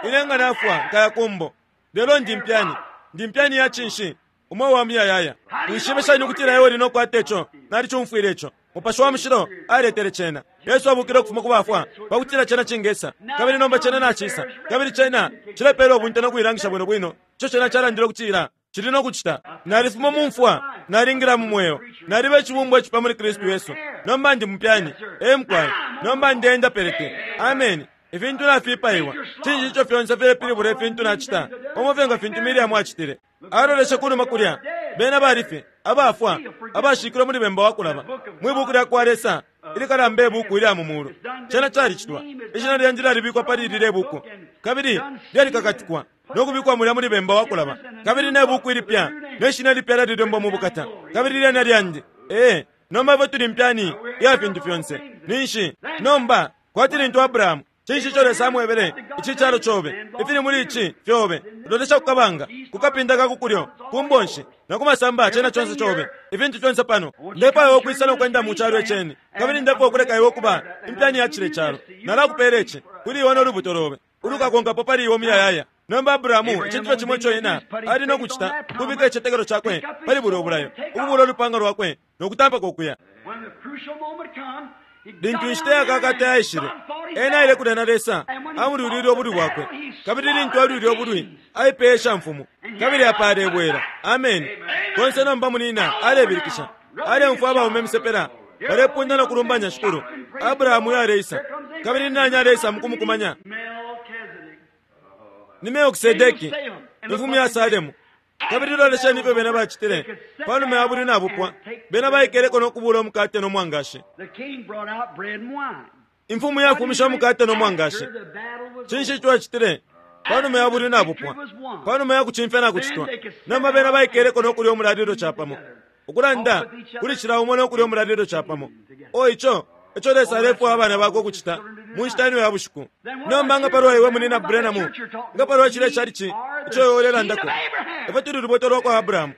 Ine nga nafwa nkaya kumbo, lelo ndi mpyani. Ndi mpyani ya cinshi? Umweo wa muyayaya. Wishibe shani ukutila iwe uli nokwata ico? Nalicumfwile ico. Mupashi wa Mushilo aletele cena. Yesu abukile ukufuma ku bafwa pakutila cena cingesa, kabili nomba cena nacisa, kabili cena cilepela ubunte nokuilangisha bwino bwino ico cena calandile ukutila cili nokucita. Nalifuma mu mfwa, nalingila mu mweo, naliba icibumbwa icipya muli Kristu Yesu. Nomba ndi mupyani. Emkwai. Nomba ndeenda pelete. Ameni. Ifintu nafipaiwa. Cinshi ico fyonse filepilibula ifintu nacita? Pamo fye nga fintu Miriamu acitile. Aloleshe kunuma kulya, bena balifye abafwa, abashikilwe muli bemba wa kulaba. Mwi buku lya kwa Lesa ilikalamba ibuku ilya mu mulu, cena calicitwa. Ishina lyandi lyalibikwa pali lilye buku, kabili lyalikakatikwa nokubikwa mulya muli bemba wa kulaba. Kabili ne buku ilipya ne shina lipya lyalilembwa mu bukata, kabili lyena lyandi. Ee, nomba ifwe tuli mpyani ya fintu fyonse. Ninshi nomba kwati lintu Abrahamu, cinshi ico Lesa amwebele? Ici calo cobe, ifili muli ici fyobe. Lolesha kukabanga, kukapinda ka kukulyo, kumbonshi na kumasamba, cena conse cobe, ifintu fyonse pano. Ndefwaya ukwisa nokwenda mu calo iceni, kabili ndefwaya ukuleka iwe ukuba impyani ya cile calo. Nalakupela ici kuli iwe nolubuto lobe ulukakonkapo pali iwe muyayaya, Nomba Abrahamu icintu fye cimo ico ena ali no kucita kubika icitetekelo cakwe pali bulya ubulayo, ukubula ulupanga lwakwe no kutampako ukuya. Lintu inshita yakakata yaishile, ena aile kulya na Lesa, amulwilile ubulwi bwakwe. Kabili lintu alwile ubulwi, aipeye shamfumu, kabili apa alebwela. Ameni. Konse nomba munina alebilikisha, aleumfwa abaume misepela balepunda no kulumbanya Shikulu. Abrahamu yaleisa, kabili nani aleisa mukumukumanya? Ni Melkisedeki, imfumu ya Salemu. Kabili lolesheni ifyo bena bacitile panuma ya bulwi nabupwa. Bena baikeleko no kubula umukate no mwangashi. Imfumu yafumisha umukate no mwangashi. Cinshi ico acitile panuma ya bulwi nabupwa, panuma ya kucimfya na kucitwa? Nomba bena baikeleko no kulya umulalilo capamo, ukulanda kuli cila umo no kulya umulalilo capamo. O ico ico Lesa alefwaya abana bakwe ukucita mu nshita ino ya bushiku. Nomba nga palwa iwe munina Branham, nga palwa cilya chalichi ico iwe ulelandako, ifwe tuli lubuto lwa kwa Abrahamu.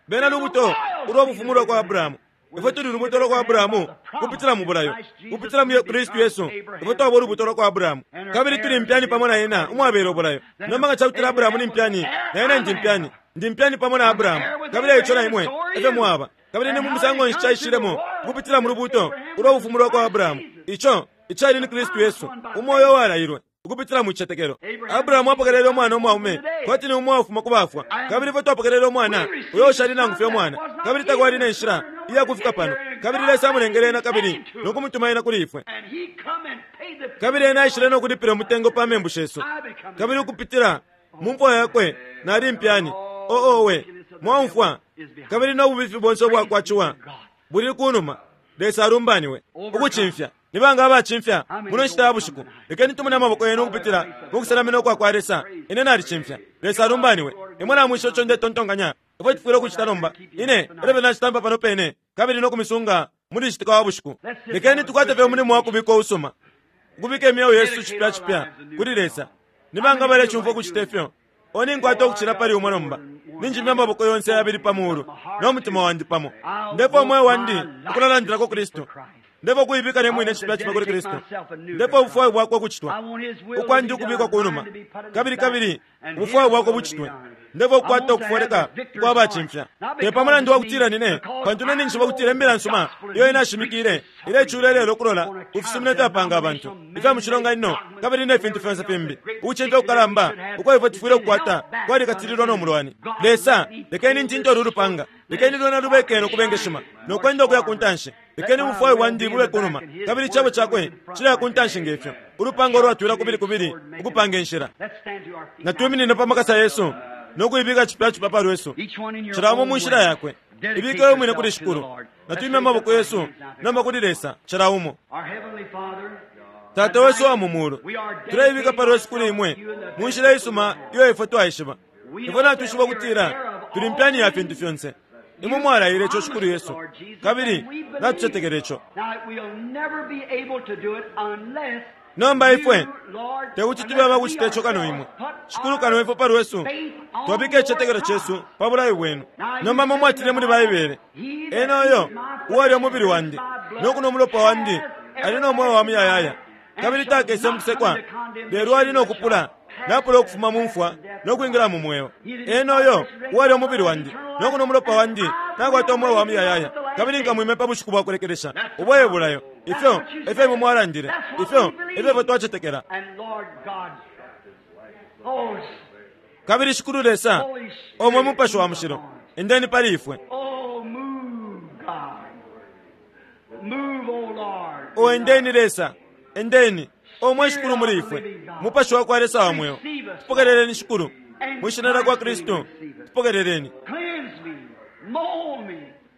Bena lubuto ulwa bufumu lwa kwa Abrahamu. Ifwe tuli lubuto lwa kwa Abrahamu kupitila mu bulayo, kupitila mu Kristu Yesu. Ifwe twaba ulubuto lwa kwa Abrahamu, kabili tuli mpyani pamo na ena umwabela ubulayo. Nomba nga cakutila Abrahamu ni mpyani, na ena ndi mpyani, ndi mpyani pamo na Abrahamu, kabili eico na imwe efyo mwaba. Kabili ni mu musango nshi caishilemo kupitila mu lubuto ulwa bufumu lwa kwa Abrahamu, ico icali ni Kristu Yesu, umoyo walailwe ukupitila mu cicetekelo. Abrahamu apokelele umwana umwaume kwati ni umo wafuma ku bafwa, kabili ifwe twapokelele umwana uyo ushali nangu fye umwana, kabili takwali ne nshila iya kufika pano, kabili Lesa amulengele ena kabili no kumutuma ena kuli ifwe. Kabili ena aishile no kulipila umutengo pa membu shesu, kabili ukupitila mu mfwa yakwe nali mpyani. Oo owe, mwaumfwa. Kabili no bubifi bonse ubwakwaciwa buli kunuma. Lesa alumbaniwe ukucimfya. Nibanga abacimfya muno nshita ya bushiku? Lekeni tumone amaboko yenu ukupitila mukusenamina ukwa kwa Lesa. Ine nalicimfya. Lesa alumbaniwe. Imwe namwisha ico ndetontonkanya ifwe tufwile ukucita nomba. Ine elyo nacitampa pano pene kabili no kumisunga muli citika wa bushiku. Lekeni tukwate fye umulimo wa kubika usuma, ukubika imyeo yesu cipya cipya kuli Lesa. Nibanga balecumfwa ukucita ifyo? O ninkwata ukucila pali umwe nomba. Ninjimya amaboko yonse yabili pa muulu no mutima wandi pamo. Ndefwa umweo wandi ukulalandilako Kristu. Ndefwa kuibika ne mwine cipya cipya kuli Kristu. Ndefwa ubufwayo bwakwe ukucitwa, ukwandi ukubikwa kunuma, kabili kabili ubufwayo bwakwe bucitwe. Ndefwa ukukwata ukufoleka kwa bacimfya. Te pa mulandu wa kutila nine, pantu ne ninjishiba kutila imbila nsuma iyo inashimikile ilecula ilelo ukulola kufisumino ifyapanga abantu ifya mu cilonganino kabili ne fintu fyonse fimbi. Ukucimfya kukalamba uko ifwe tufwile ukukwata kwalikatililwa no mulwani. Lesa, lekeni ntinto ulu lupanga, lekeni lwena lubeke no kubengeshima no kwenda ukuya ku ntanshi. Lekeni ubufwayo bwandi bube kunuma, kabili icebo cakwe cileya ku ntanshi ngefyo ulupanga ulwatwila kubili kubili ukupanga inshila. Natwiminine pa makasa yesu no kuibika cipya cipya pa lwesu, cila umo mu nshila yakwe. Ibike we mwine kuli Shikulu. Natwimye amaboko yesu nomba kuli Lesa, cila umo. Tata wesu wa mu mulu, tuleibika pa lwesu kuli imwe mu nshila isuma iyo ifwe twaishiba. Ifwe natwishiba ukutila tuli mpyani ya fintu fyonse. Imwe mwalaile ico Shikulu Yesu, kabili natucetekela ico. Nomba ifwe tekuti tube abakucita ico kano imwe, Shikulu, kano ifwe pa lwesu twabika icicetekelo cesu pa bulayo bwenu. Nomba mwe mwatile muli Baibele, ena uyo uwalya umubili wandi no kunwa umulopa wandi ali no mweo wa muyayaya, kabili takese mukusekwa, lelo ali no kupula napula ukufuma mu mfwa no kwingila mu mweo. Ena uyo uwalya umubili wandi no kunwa umulopa wandi nakwata umweo wa muyayaya, kabili nkamwime pa bushiku bwa kulekelesha. Ubwo bulayo, ifyo efyo imwe mwalandile, ifyo efyo ifwe twacetekela. Kabili Shikulu Lesa, omwe Mupashi wa Mushilo, endeni pali ifwe. O endeni Lesa, endeni omwe Shikulu muli ifwe, Mupashi wa kwa Lesa wa mweo. Tupokeleleni Shikulu, mwishina lya kwa Kristu, tupokeleleni.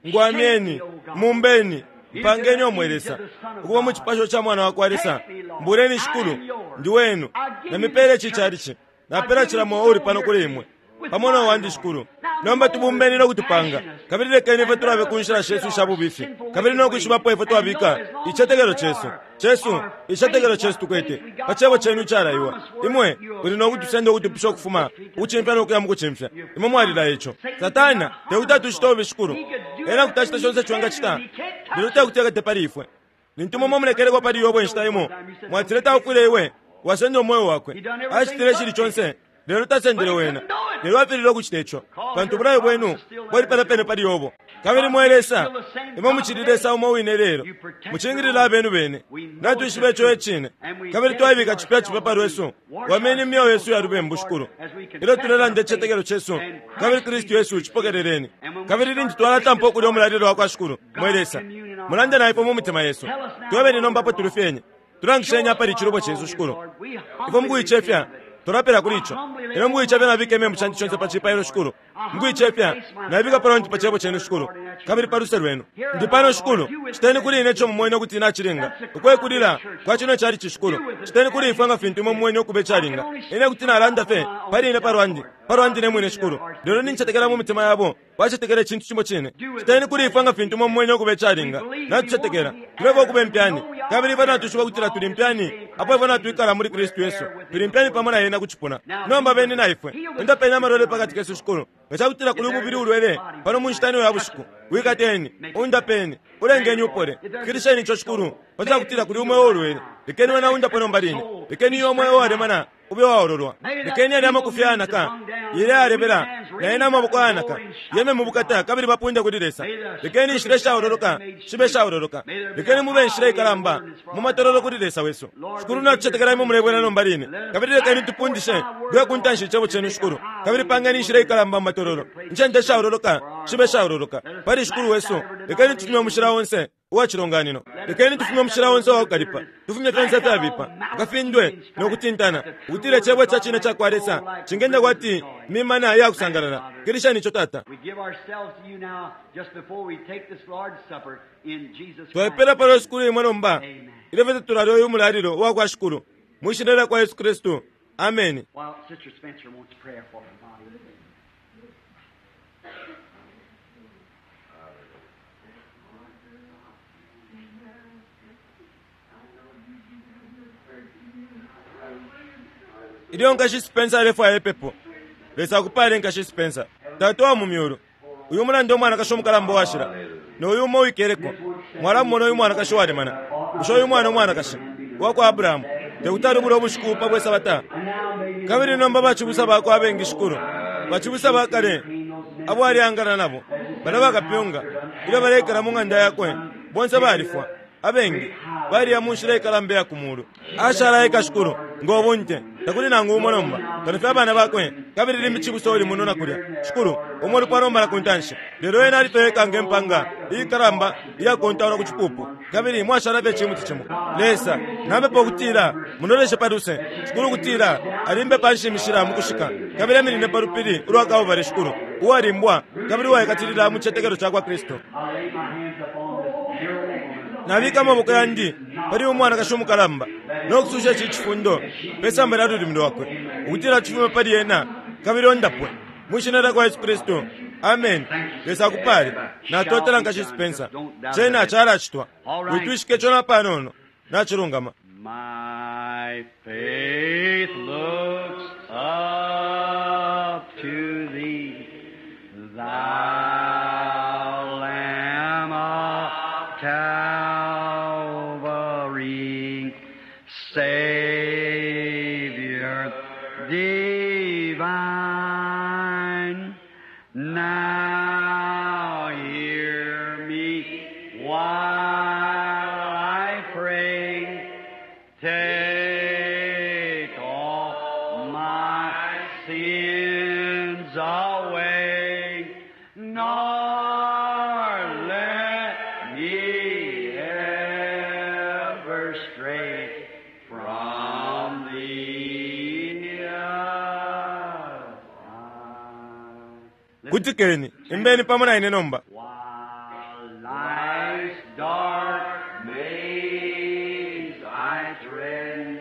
Ngwamyeni, mumbeni, mpangeni omwe Lesa, ukuba mu cipasho ca mwana wa kwa Lesa. Mbuleni Shikulu, ndi wenu, namipele chichalichi, napela cila mweo uli pano kuli imwe pamo no wandi Shikulu. Nomba tubumbeni no kutupanga, kabili lekeni ifwe tulabe ku nshila shesu isha bubifi, kabili no kwishibapo ifwe twabika icetekelo cesu cesu icetekelo cesu tukwete pa cebo cenu icalaiwa. Imwe uli no kutusenda ukutupisha ukufuma ukucimfya no kuya mu kucimfya. Imwe mwalila ico. Satana tekuti atucita ububi Shikulu, ena kuti acita conse ico engacita, lelo tekuti ekate pali ifwe. Lintu mwe mulekelekwa pali Yobo inshita imo, mwatile taufwile iwe wasenda umweo wakwe. Acitile icili conse Lelo tasendele wena, lelo afilile ukucita ico, pantu ubulayo bwenu bwali palya pene pali Yobo. Kabili mwe Lesa, imwe mucili Lesa umo wine lelo, mucingilila abenu bene. Natwishiba ico ecine, kabili twaibika cipya cipya pa lwesu. Wameni imyeo yesu ya lubembu, Shikulu, ilyo tulelanda icitetekelo cesu, kabili Kristu Yesu cipokeleleni. Kabili lintu twalatampa ukulya umulalilo wa kwa Shikulu, mwe Lesa, mulande na ifwe mu mitima yesu. Twebeni nomba apo tulufyenye, tulangisheni apali icilubo cesu, Shikulu. Ifwe mukuicefya tulapela kuli ico. Elo mukuicefya nabika imembu shandi shonse pa cipailo, Shikulu. Mukuicefya nabika palonti pa cebo cenu, Shikulu, kabili pa luse lwenu. Ndi pano, Shikulu, citeni kuli ine ico mumwene ukuti nacilinga. Ukwekulila kwa cino cali Shikulu, citeni kuli ifwe nga fintu imwe mumwene ukuba icalinga. Ine kuti nalanda fye pali ine palwandi, palwandi ne mwine, Shikulu, lelo nincetekela mu mitima yabo bacetekela icintu cimo cine. Citeni kuli ifwe nga fintu imwe mumwene ukuba icalinga. Natucetekela tulefwa ukuba impyani, kabili ifwe natushiba kutila tuli impyani apo ifwe natwikala muli Kristu Yesu. Tuli impyani pamo na yena ku cipuna. Nomba beni na ifwe, undapeni amalwele pakati kesu, Shikulu. Nga cakutila kuli umubili ulwele pano mu nshita ino ya bushiku, wikateni, undapeni, ulengeni upole. Fikilisheni ico, Shikulu. Pa cakutila kuli umweo ulwele, lekeni wena undapo nomba line. Lekeni iyo umweo walemana ube waololwa. Lekeni yali amakufi ayanaka yele yalebela, na yena amaboko ayanaka yeme mu bukata, kabili bapunde kuli Lesa. Lekeni inshila ishaololoka shibe ishaololoka. Lekeni mube inshila ikalamba mu matololo kuli Lesa wesu. Shikulu, natucetekela imwe mulebwela nomba line, kabili lekeni tupundishe kuya ku ntanshi icebo cenu, Shikulu, kabili pangeni inshila ikalamba mu matololo, incende ishaololoka shibe ishaololoka pali Shikulu wesu. Lekeni tufumye umushila onse uwa cilonganino. Lekeni tufumye umushila onse uwakukalipa, tufumye fyonse ifyabipa, akafindwe nokutintana, ukutila icebo ca cine ca kwa Lesa cingenda kwati mimana iyakusangalala. Kilisheni ico, Tata. We give ourselves to you now just before we take this Lord's Supper in Jesus Twapela Christ's palo Shikulu imwe nomba, Amen. ilyo fye tulalya uyu mulalilo uwa kwa Shikulu mwi shina lya kwa Yesu Kristu, ameni. While Sister Spencer wants prayer for her body. Ilyo nkashi Spencer alefwaya ipepo, Lesa akupale nkashi Spencer. Tata wa mu myulu, uyu mulanda umwanakashi umukalamba uwashila, no uyu umo uwikeleko, mwalamumona uyu mwanakashi walemana. Bushe uyu mwana umwanakashi wa kwa Abrahamu tekuti alubule ubushiku pa bwe Sabata? Kabili nomba bacibusa bakwe abengi, Shikulu, bacibusa bakale abo aliangana nabo, bala bakapyunga ilyo baleikala mu ng'anda yakwe, bonse balifwa. Abengi baliya mu nshila ikalamba iya ku mulu. Ashala eka, Shikulu, ngo bunte takuli nangu umo nomba kano fye abana bakwe, kabili limbi cibusa uli muno na kulya, Shikulu, umo lupwa nomba na ku ntanshi. Lelo ena ali fye eka nge mpanga iikalamba iyakontaulwa ku cipupu, kabili mwashala fye icimuti cimo. Lesa, napepa ukutila munoleshe pa luse, Shikulu, ukutila alimbe panshi imishila mu kushika, kabili aminine pa lupili ulwa Kalvari, Shikulu, uwalimbwa kabili uwaikatilila mu citetekelo ca kwa Kristu. I lay my hands upon this dear woman. Nabika amaboko yandi pali umwanakashi umukalamba no kususha ici cifundo pe samba lya lulimi lwakwe, ukutila cifume pali ena kabili ondapwe mwi shina lya kwa Yesu Kristu, amen. Lesa akupale. Natotela nkashi Spencer. Cena calacitwa, witwishike ico napanono, nacilungama. My faith looks up to thee, thou Lamb of Calvary, Savior divine. Now hear me while I pray. Take all my sins away, nor let me ever stray from thee. Kutikeni, imbeni pamo na ine nomba. While life's dark maze I tread,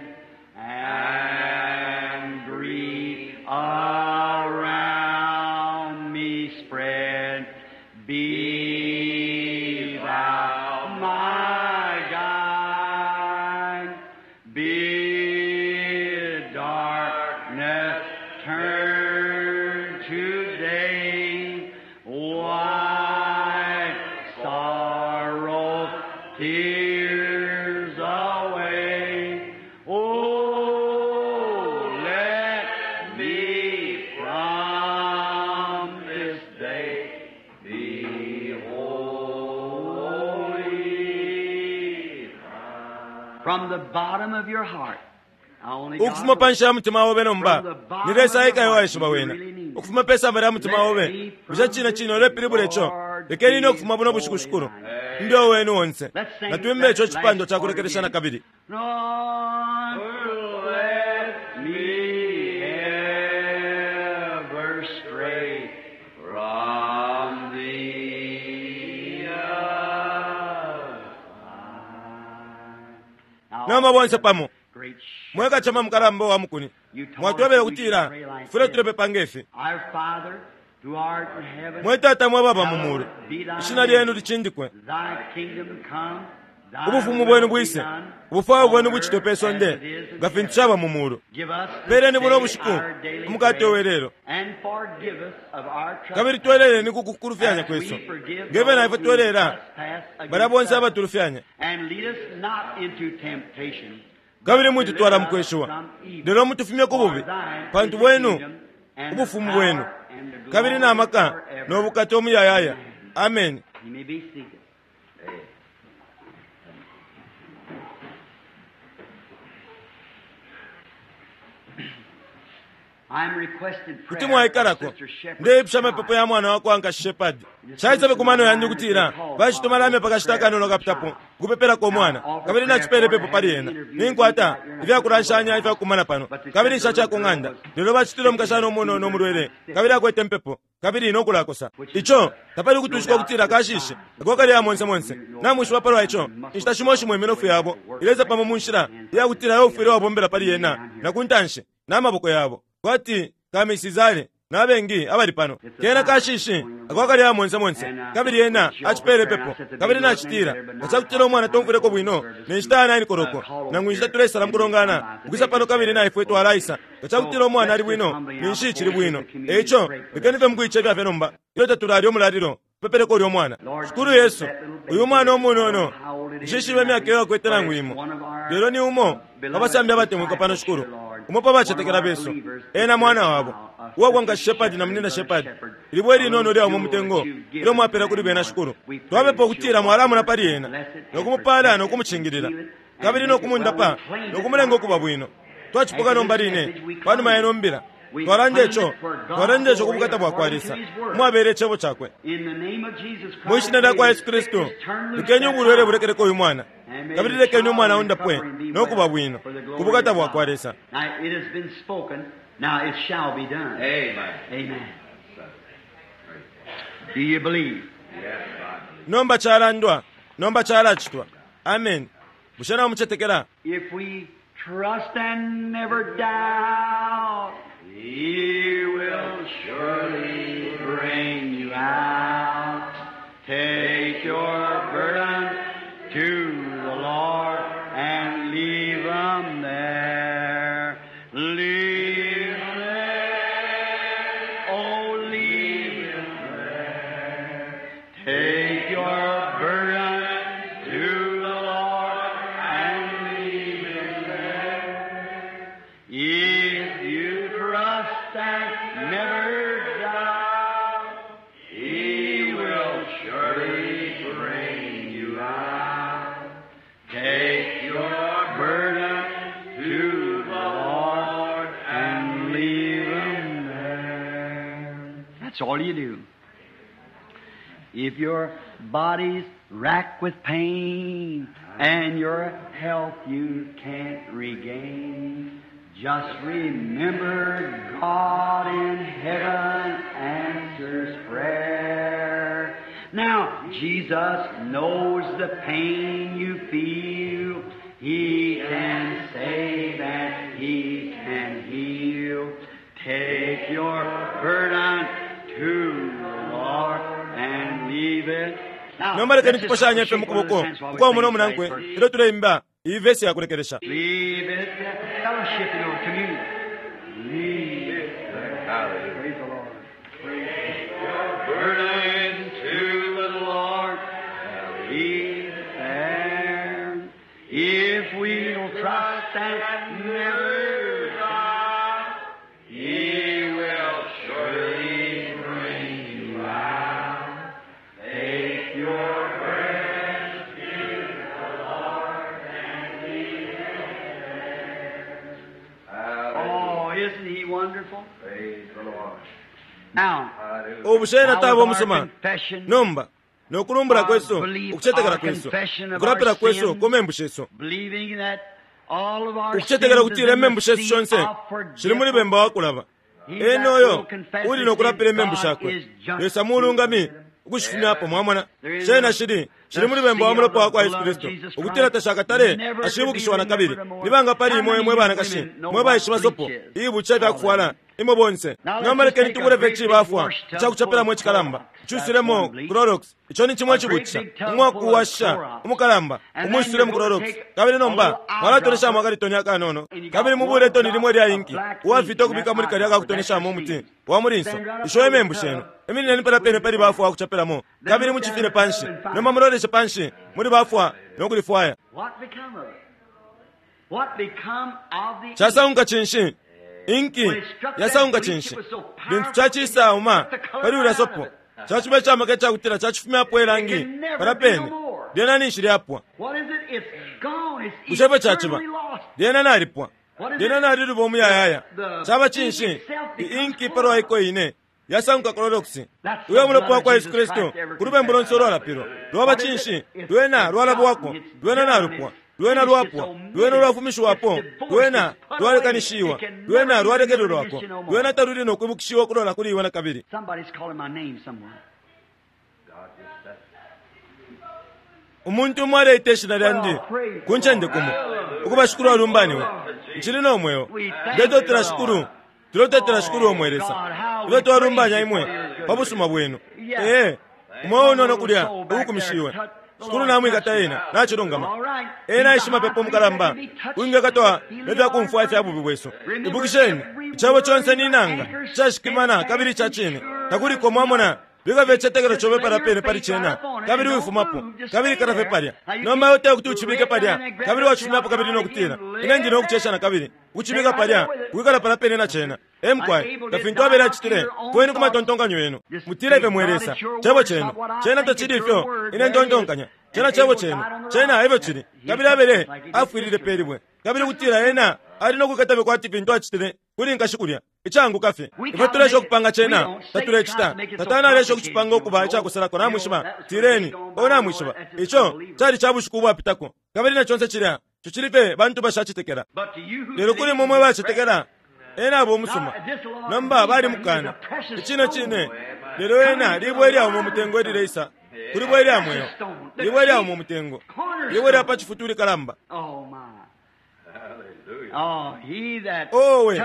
and grief around me spread, be thou my guide. Bid darkness turn to day, wipe sorrow tears away. Oh, let me From the bottom of your heart. Only God Ukufuma pa knows. nshi ya mutima obe nomba ni Lesa eka ewaishiba wena. Ukufuma pe samba lya mutima obe, bushe cine cine ulepilibula ico? Lekeni ine ukufuma buno bushiku shikulu mbe wenu onse. Natwimbe ico cipandwa ca kulekelesha na kabili. Lord, let me ever stray from thee. Nomba bonse pamo Great mwekacema mukalamba wa mukuni mwatwebele kutila fule tulepepa ngefi. Our Father, who art in heaven, Mwe Tata mwe baba mu mulu, ishina lyenu licindikwe, thy kingdom come, thy ubufumu will bwenu be bwise, done ubufwayo bwenu on bucitwe earth pe sonde as it is in nga fintu heaven. caba mu mulu. Give us this Peleni buno day bushiku our daily umukate bread, welelo, and forgive us of our kabili trespasses, tweleleni ku kukulufyanya as we kwesu forgive ngeve those na ifwe who twelela trespass against balya bonse us. abatulufyanya, And lead us not into temptation, kabili but mwitutwala deliver mu us kweshiwa, from evil. lelo mutufumye ku For bubi, thine pantu is the bwenu kingdom, and the ubufumu bwenu power, and the kabili glory na maka forever. no bukata umuyayaya. Amen. You may be seated. I'm requested Kuti prayer for mwaikalako. Sister Shepherd's Ndeipusha amapepo child. ya mwana wakwa nkashi Shepard. Caisabe ku mano yandi ukutila bacituma lamya pakashita akanono kapitapo kupepelako umwana, kabili nacipele pepo pali ena. Ninkwata ifyakulanshanya ifyakukumana pano, kabili nshaca ku ng'anda. Lelo bacitile umukashana umunono umulwele, kabili akwete mpepo, kabili nokulakosa. Ico tapali kutwishika ukutila kashishi ako kali ya monse monse. Namwishiba palwa ico, inshita shimo shimo iminofu yabo ilesa pamo mu nshila iyakutila yo ufwile wabombela pali yena na ku ntanshi n'amaboko yabo kwati kamisizale n'abengi abali pano. Kena kashishi ako kali ya monse monse, kabili yena acipele pepo, kabili nacitila nga cakutila umwana tomfwileko bwino ne nshita ya nine koloko nangu inshita tulesala mukulongana ukwisa pano, kabili naifwe twalaisa nga cakutila umwana ali bwino ninshi cili bwino. Eico lekeni fye mukuicefya fye nomba ilyo tatulalya umulalilo, pepeleko ulya umwana. Shikulu Yesu, uyu mwana umunono, nshishibe imyaka iyo akwete nangu imo, lelo ni umo abasambi abatemwikwa pano shikulu, umo pa bacetekela besu, ena mwana wabo uwakwa nkashi Shepadi na munina Shepadi, ilibwe linono lyaumo mutengo ilyo mwapela kuli bena shikulu. Twapepa ukutila mwalamuna pali ena nokumupala nokumucingilila kabili nokumundapa nokumulenga ukuba bwino. Twacipuka nomba line panuma yeno mbila twalanda ico, twalanda ico ku bukata bwakwa Lesa umwabele icebo cakwe. In the name of Jesus Christ, Mwi shina lya kwa may Yesu the Kristu, sickness turn loose lekeni that ubulwele child. bulekeleko uyu mwana, And may kabili the lekeni umwana child undapwe recover and be nokuba well bwino for the ku glory bukata of bwakwa God. Lesa. Now it has been spoken, now it shall be done. Amen. Amen. Do you believe? Yes, I believe. Nomba calandwa, nomba calacitwa. Amen. Bushe namucetekela? If we trust and never doubt, He will surely bring you out. Take your burden to the Lord and leave 'em there. Leave 'em there. Oh, leave 'em there. Take your burden to the Lord and leave him there. If you trust and never doubt, He will surely bring you out. Take your burden to the Lord and leave him there. That's all you do. If your body's racked with pain and your health you can't regain, just remember God in heaven answers prayer. Now, Jesus knows the pain you feel. He can save and He can heal. Take your burden to the Lord and leave it. Now, Nomba lekeni let's just tuposhanye fye shake one mu kuboko another's hands while we kwa sing umo this nomunankwe last verse. ilyo tuleimba iyi vesi yakulekelesha. Leave it, fellowship in our communion. Leave it. Hallelujah. Praise the Lord. Praise your burden to the Lord. Leave it there. If we'll trust and never doubt, He will surely bring you out. Take your burden to the Lord and leave Ubushe ena taba umusuma nomba nokulumbula kwesu, ukucetekela kwesu, ukulapila kwesu ku membu shesu, ukucetekela kutila imembu shesu shonse shili muli bemba wakulaba. Ena oyo uli nokulapila imembu shakwe, Lesa mulungami ukushifumyapo. Mwamona, shena shili shili muli bemba wa mulopa wakwa Yesu Kristu, ukutila tashakatale ashibukishiwa na kabili. Nibanga pali imwe mwe banakashi mwe baishiba sopo ibuca ifyakufwala imwe bonse? Nomba lekeni tubule fye cibafwa icakucapelamo icikalamba icusulemo Clorox. Ico ni cimwe icibutisha umwakuwasha umukalamba umwisulemo Clorox, kabili nomba mwalatoneshamo akalitoni akanono, kabili mubule itoni limwe lya inki uwafita ukubika muli kalya akakutoneshamo umuti wa mulinso. Isho imembu shenu. Iminineni pala pene pali bafwa wakucapelamo, kabili mucifine panshi. Nomba muloleshe panshi muli bafwa nokulifwaya. Casaunka cinshi? Inki yasaunka cinshi? Lintu cacisauma pali ulya sopo, caciba icamaka icakutila cacifumyapo ilangi pala pene, lyena ninshi lyapwa. Bushe efyo caciba? Lyena nalipwa, lyena naliluba umuyayaya. Caba cinshi? Inki palwa iko ine yasanguka Clorox. Uyo mulopa wakwa Yesu Kristu ku lubembu lonse ulwalapilwa lwaba cinshi? Lwena lwalabwako, lwena nalupwa, lwena lwapwa, lwena lwafumishiwapo, lwena lwalekanishiwa, lwena lwalekelelwako, lwena taluli nokwibukishiwa kulola kuli iwe na kabili. Umuntu umo aleita ishina lyandi ku ncende kumo, ukuba Shikulu alumbaniwe. Nchili no mweo. Ndetotela Shikulu, tulotetela Shikulu omwe Lesa, ilyo twalumbanya imwe pa busuma bwenu. Ee, umweo unono kulya ukukumishiwe. Shikulu namwikata ena nachilungama. Ena ishimapepo mukalamba uingakatwa nefyakumfwa ifya bubi bwesu. Ibukisheni, icebo conse ni nanga cashikimana kabili ca cine. Takuliko mwamona bikafye icitetekelo cobe pala pene pali cena, kabili wifumapo, kabili ikala fye palya. Nomba iwe tekuti ucibike palya, kabili wacifumyapo kabili nokutila ine ndi nokucesha na kabili ukucibika palya, wikala pala pene na cena. Emkwai nga fintu abele acitile, kweni ku matontonkanyo yenu, mutile ifyo mwe Lesa cebo cenu cena tacili ifyo ine ntontonkanya, cena cebo cenu, cena efyo cili. Kabili abele afwilile pelibwe, kabili kutila ena ali nokwikata kwati fintu acitile kuli nkashi kulya icanguka fye. Ifwe tulesha ukupanga cena, tatulecita. Satana alesha ukucipanga ukuba icakusalako. Namwishiba, tireni o namwishiba ico cali ca bushiku ubwapitako, kabili na conse cilya ico cili fye bantu bashacetekela. Lelo kuli mwe mwe bacetekela, ena aba umusuma. Nomba balimukana icine cine, lelo ena libwe ilyauma umutengo elileisa kuli bwe ilya mweo, libwe ilyauma umutengo, libwe lya pa cifutu likalamba. Owe,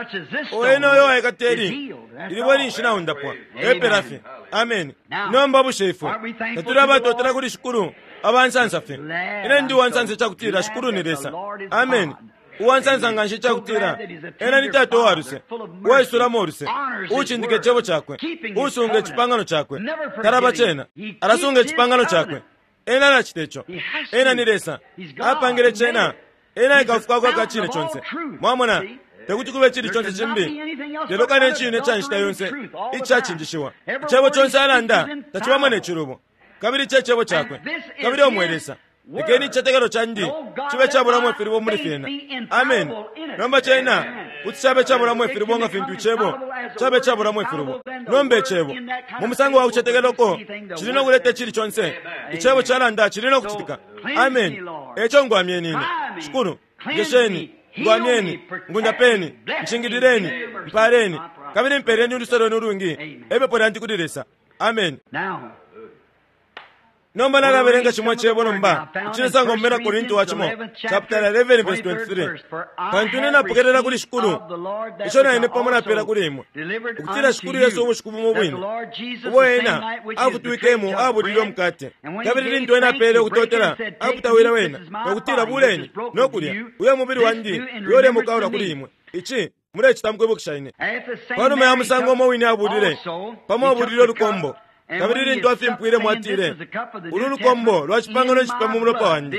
ena oyo waikateli ilibwe linshi naundapwa epela fye. Amen. Nomba bushe ifwe tatuli abatotela kuli Shikulu abansansa fye? Ine ndi uwansansa icakutila Shikulu ni Lesa. Amen. Uwansansa nganshi icakutila ena ni Tata uwaluse, uwaisulamo uluse, uucindika icebo cakwe, uusunga icipangano cakwe. Talaba cena, alasunga icipangano cakwe. Ena alacita ico. Ena ni Lesa, apangile cena. Ena ikafukako akacine conse. Mwamona, tekuti kube cili conse cimbi lelo kane cine ca nshita yonse icacinjishiwa. Icebo conse alanda tacibamo ne cilubo, kabili ce cebo cakwe, kabili omwe Lesa. Lekeni icitetekelo candi cibe cabulamo ifilibo muli fyena. Amen. Nomba cena kuti cabe cabulamo ifilibo nga fintu icebo cabe cabulamo ifilibo. Nomba icebo mu musango wa kucetekela uko cili nokuleta icili conse icebo calanda cili nokucitika. Amen. Eco ngwamyeni ine Shikulu, njesheni, ngwamyeni, ngundapeni, nchingilileni, mpaleni, kabili mpeleni uluse lwenu ulwingi. Epepo lyandi kuli Lesa. Amen. Nomba nalabelenga chimwe cebo nomba icilesango mu Bena Korinto wa cimo chapter eleven verse twenty-three. Pantu ine napokelela kuli Shikulu ico na ine pamo napela kuli imwe, ukutila Shikulu Yesu ubushiku bumo bwine ubo ena afutwikemo abulile umukate, kabili lintu ena apele ukutotela aputawila wena nokutila, buleni nokulya, uyo mubili wandi uyo ulemukaula kuli imwe, ici mulecita mukwibukisha ine. Panuma ya musango umo wine abulile pamo abulile ulukombo, kabili lintu afimpwile mwatile, ulu lukombo lwa cipangano cipya mu mulopa wandi,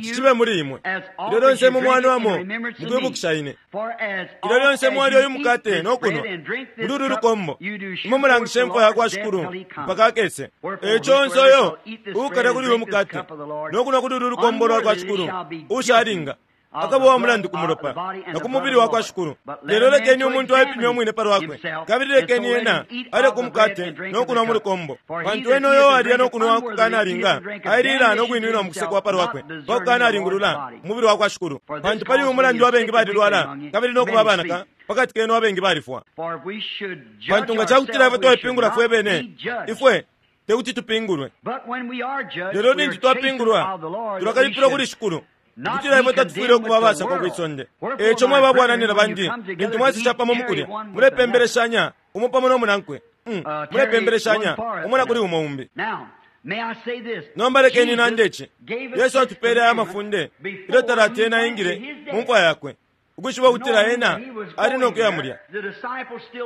cicibe muli imwe. Ilyo lyonse imwe mwanwamo mukwibukisha ine. Ilyo lyonse mwalya uyu mukate nokunwa muli ulu lukombo, imwe mulangisha imfwa yakwa Shikulu mpaka akese. Eco onse uyo uukalya kuli uyu mukate nokunwa kuli ulu lukombo lwa kwa Shikulu ushalinga Akaba wa mulandu ku mulopa na ku mubili wa kwa Shikulu. Lelo lekeni umuntu aipime umwine pa lwakwe, kabili lekeni ena alye ku mukate no kunwa mu lukombo. Pantu ena uyo alya no kunwa kukanalinga, ailila no kwinwinwa mu kusekwa pa lwakwe, pa kukanalingulula umubili wa kwa Shikulu. Pantu pali uyu mulandu abengi balilwala, kabili no kuba abanaka, pakati kenu abengi balifwa. Pantu nga ca kutila ifwe twaipingula fwe bene, ifwe tekuti tupingulwe. Lelo lintu twapingulwa, tulakalipilwa kuli Shikulu, ukutila ifwe tatufwile ukuba abasakwa kwisonde. Eco mwe babwananina bandi, lintu mwasisha pamo mukulya, mulepembeleshanya umo pamo no munankwe. Mm, mulepembeleshanya umo na kuli umo umbi. Nomba lekeni nande ici. Yesu atupele aya mafunde ilyo talati ena aingile mu mfwa yakwe, ukwishiba ukutila ena ali no kuya mulya.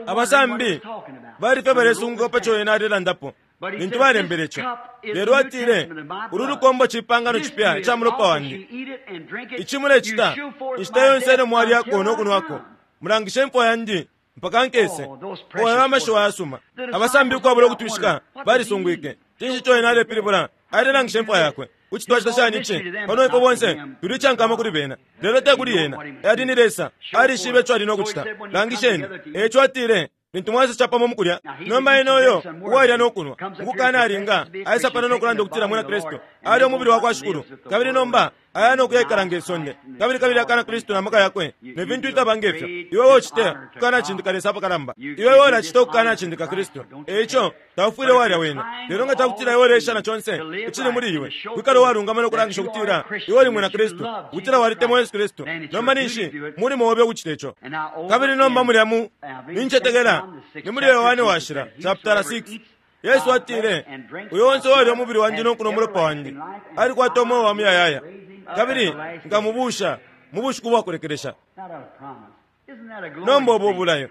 Abasambi bali fye balesunguka pa co ena alelandapo lintu balembele ico. Lelo atile, ulu lukombo cipangano cipya ica mulopa wandi. Ici mulecita inshita yonse ilyo mwalyako no kunwako, mulangishe imfwa yandi mpaka nkese. Oyo amashiwi ayasuma. Abasambi ukwabula ukutwishika balisungwike. Cinshi ico ena alepilibula? Alelangisha imfwa yakwe. Kuti twacita shani ici? Pano ifwe bonse tuli icankama kuli bena, lelo te kuli ena. Ali ni Lesa, alishibe ico ali no kucita. Langisheni. Eco atile, lintu mwasesha pamo mukulya, nomba ena uyo uwalya no kunwa ukukanalinga aisa pano no kulanda ukutila mwina Kristu alya umubili wa kwa Shikulu, kabili nomba aya no kuyaikala nge sonde, kabili kabili akana Kristu na maka yakwe ne fintu ifyaba ngefyo. Iwe wocite kukanacindika Lesa apakalamba, iwe wolacita ukukanacindika Kristu. Eico taufwile walya wena. Lelo nga cakutila iwe ulesha na conse icili muli iwe, kwikala uwalungama no kulangisha ukutila iwe uli mwina Kristu, ukutila walitemwa Yesu Kristu, nomba ninshi mulimo obe ukucita ico. Kabili nomba mulya mu nincetekela ni muli Yohane Washila chapter six, Yesu atile, uyo onse uwalya umubili wandi no kunwa umulopa wandi alikwata umweo wa muyayaya, kabili nkamubusha mu bushiku bwa kulekelesha. Nomba ubu bulayo,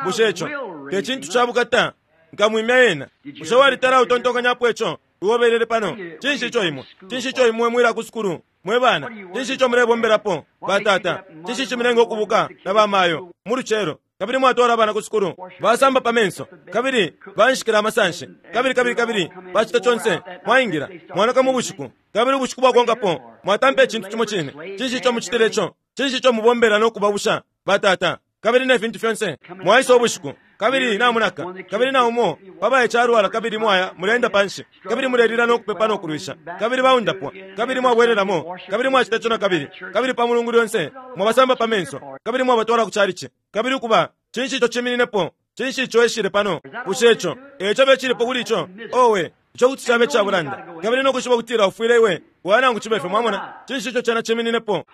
bushe ico te cintu ca bukata? Nkamwimya ena. Bushe walitala utontonkanyapo ico iwobelele pano? Cinshi ico imwe? Cinshi ico imwe mwila ku sukulu mwe bana? Cinshi ico mulebombelapo batata? Cinshi ico mulenga ukubuka na bamayo mu lucelo, kabili mwatwala abana ku sukulu, basamba pa menso, kabili banshikila amasanshi, kabili kabili kabili bacita conse, mwaingila mwanaka mu bushiku, kabili ubushiku bwakonkapo mwatampa icintu cimo cine. Cinshi ico mucitile ico? Cinshi ico mubombela no kubabusha batata, kabili ne fintu fyonse? Mwaisa ubushiku, kabili namunaka, kabili na umo pabaye calwala, kabili mwaya mulenda panshi, kabili mulelila no kupepa no kulwisha, kabili baundapwa, kabili mwabwelelamo, kabili mwacita ico na kabili, kabili pa mulungu lyonse mwabasamba pa menso, kabili mwabatwala ku calici, kabili ukuba. Cinshi ico cimininepo? Cinshi ico eshile pano? Bushe ico eco becilipo kuli ico? Owe, ico kuti cabe cabulanda, kabili no kushiba kutila ufwile iwe wanangu cibe fye. Mwamona? Cinshi ico cena cimininepo?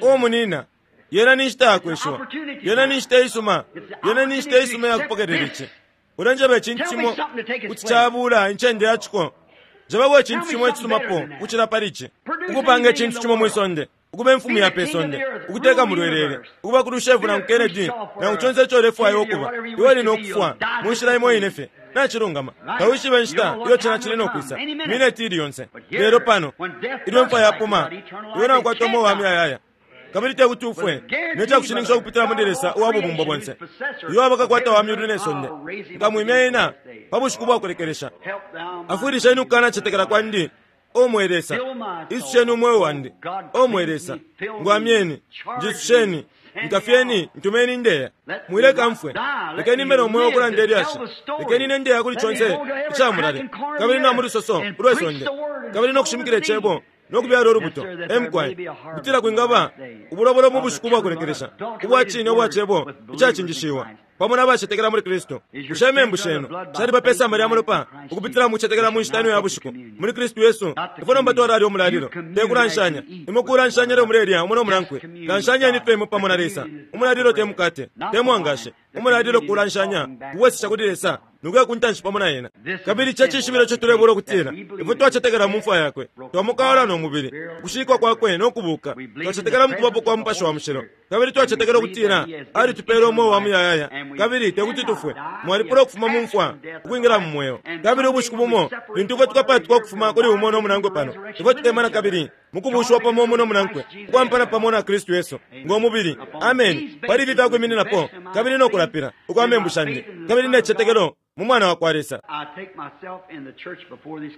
O munina, yena ni nshita yakweshiwa, yena ni nshita isuma, yena ni nshita isuma yakupokelela ici. Ulenjeba icintu cimo kuti cabula incende yaciko. Njebako icintu cimo icisumapo ukucila pali ici, ukupanga icintu cimo mwisonde, ukuba imfumu ya pesonde, ukuteka mulwelele, ukuba ku Lushevu nangu Kennedy, nangu conse ico ulefwaya ukuba. Iwe uli no kufwa mu nshila imo ine fye. Nacilungama. Tawishibe inshita iyo cena cili no kwisa, mineti ili yonse. Lelo pano ilyo imfwa yapuma, iwe naukwata umweo wa muyayaya, kabili tekuti ufwe, ne cakushininkisha ukupitila muli Lesa uwa bubumbo bonse, uyo abakakwata wa myulu ne sonde, nkamwimya ena pa bushiku bwa kulekelesha. Afwilisheni ukukanacetekela kwandi, O mwe Lesa. Isusheni umweo wandi, O mwe Lesa. Ngwamyeni, njisusheni, nkafyeni, ntumeni ndeya. Mwileka mfwe, lekeni mbe no mweo ukulanda ilyashi, lekeni ne ndeya kuli conse icamulale, kabili na mu lusoso ulwe sonde, kabili no kushimikila icebo no kubyala ulubuto. Emukwaye kutila kwingaba ubulobolo mu bushiku bwa kulekelesha ubwa cine ubwa cebo icacinjishiwa pamo n'abacetekela muli Kristu. Bushe imembu shenu shaliba pe samba lya mulopa ukupitila mu kucetekela mu nshita ino ya bushiku muli Kristu Yesu? Ifwe nomba twalalya umulalilo, te kulanshanya. Imwe kulanshanya lyo mulelya umo no munankwe. Lanshanyeni fye imwe pamo na Lesa. Umulalilo te mukate, te mwangashi. Umulalilo kulanshanya kuwesesha kuli Lesa nukuya kuntanshi pamo na ena. Kabili ico cishibilo ico tulebula ukutila ifwe twacetekela mu mfwa yakwe, twamukawala no mubili, ukushikwa kwakwe no kubuka. Twacetekela mu kubapo kwa Mupashi wa Mushilo, kabili twacetekela ukutila alitupele umweo wa muyayaya, kabili tekuti tufwe. Mwalipula ukufuma mu mfwa ukwingila mu mweo. Kabili ubushiku bumo lintu ifwe tukapatuka ukufuma kuli umo no munankwe pano, ifwe tutemana kabili mukubushiwa pamo umo no munankwe, ukwampana pamo na Kristu Yesu ngo mubili. Amen. Pali ifi fyakwimininako kabili no kulapila ukwa membu shandi, kabili ne cicetekelo mu Mwana wa kwa Lesa. I take myself in the church before this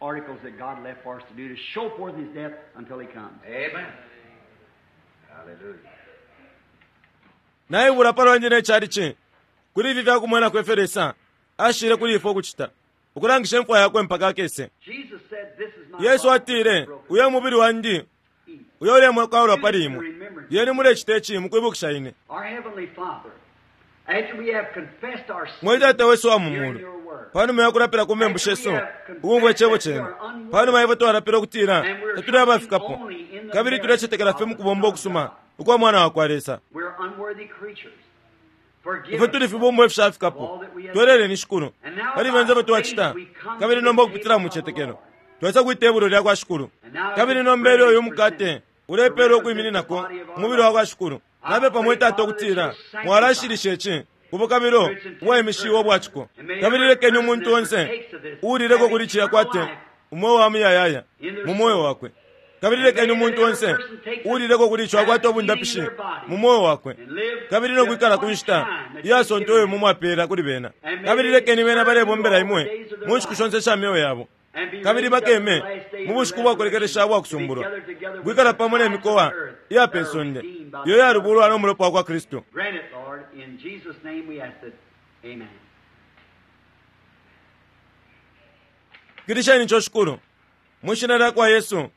articles that God left for us to do to show forth His death until He comes. Amen. Hallelujah. Naibula palwandi ne chalichi kuli ifi fyakumwenako ifyo Lesa ashile kuli ifwe ukucita ukulangisha imfwa yakwe mpaka akese. Jesus said, This is my Yesu body atile, broken. uyo mubili wandi Eat. uyo ulemwekaulwa pali imwe, lyeni mulecita ici mukwibukisha ine. Our Heavenly Father, after we have confessed our Mwe sins Tata wesu wa mu here in mulu, your word, panuma yakulapila ku membu shesu ukumva icebo chenu, panuma ifwe twalapila ukutila tatuli abafikapo kabili tulecetekela fye mukubomba ukusuma ukwa mwana wa kwa Lesa, we're unworthy creatures. Forgive ifwe us tuli fibumbwa ifishafikapo, tweleleni Shikulu pali fyonse ifyo twacita, kabili nomba ukupitila mu mucetekelo twesa kwitebulo lya kwa Shikulu. Kabili nomba ilyo uyu mukate ulepelwa ukwimininako umubili wa kwa Shikulu, napepa mwe Tata ukutila mwalashilisha ici ubukabilo ubwaimishiwe ubwaciko, kabili lekeni umuntu onse uulileko kuli cilya kwate umweo wa muyayaya mu moyo wakwe, kabili lekeni umuntu onse uulileko kuli ico akwate obundapishi mu moyo wakwe, kabili nokwikala ku nshita iyasonta uyo mumwapela kuli bena, kabili lekeni bena balebombela imwe mu nshiku shonse sha myoyo yabo, and be kabili raised up bakeme in the last day mu of bushiku the bwakulekelesha resurrection, bwakusumbulwa to be gathered together with kwikala the pamo ne tribes of mikowa the earth iya that pe are sonde redeemed by iyo the blood. yalubulwa n'omulopa wa kwa Kristu. Grant it, Lord. In Jesus' name we ask it. Amen. Kilisheni ico Shikulu mwishina lya kwa Yesu,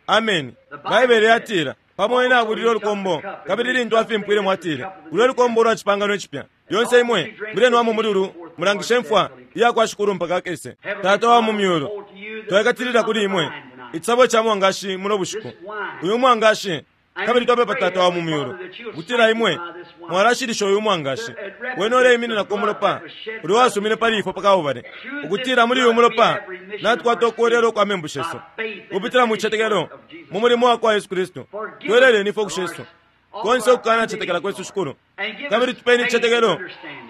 ameni. Baibele yatila pamo ine abulile olukombo, kabili lintu afimpwile mwatile ulwe lukombo lwa cipangano icipya, lyonse imwe mulenwamo muli ulu mulangishe mfwa iya kwa Shikulu mpaka akese. Tata wa mu myulu, twekatilila kuli imwe icisabo ca mwangashi muno bushiku, uyu mwangashi, kabili twapepa Tata wa mu myulu kutila imwe mwalashilisha uyu mwangashi wene uleimininako umulopa ulyo wasumine pali ifwe pakabubale, ukutila muli uyu mulopa natukwata ukuwelelwa ukwa membu shesu kupitila mu cicetekelo mu mulimo wa kwa Yesu Kristu. Tweleleni ifwe kushesu konse ukukana cetekela kwesu Shikulu, kabili tupeni icicetekelo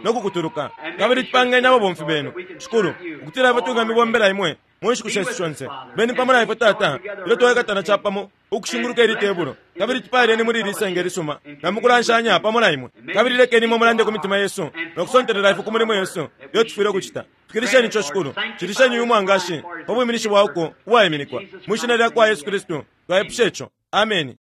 no kukutuluka, kabili tupangeni ababomfi benu Shikulu, ukutila ifwe tungamibombela imwe mu nshiku shesu shonse. Beni pamo na ifwe Tata ilyo twekatana capamo ukushinguluka ili tebulo, kabili tupaleni muli ili senge lisuma na mukulanshanya pamo na imwe, kabili lekeni imwe mulande ku mitima yesu no kusontelela ifwe ku mulimo yesu iyo tufwile ukucita. Tukilisheni ico Shikulu, cilisheni uyu mwangashi pa bwiminishi bwauko ubwaiminikwa mwishina lya kwa Yesu Kristu twaipusha ico, ameni.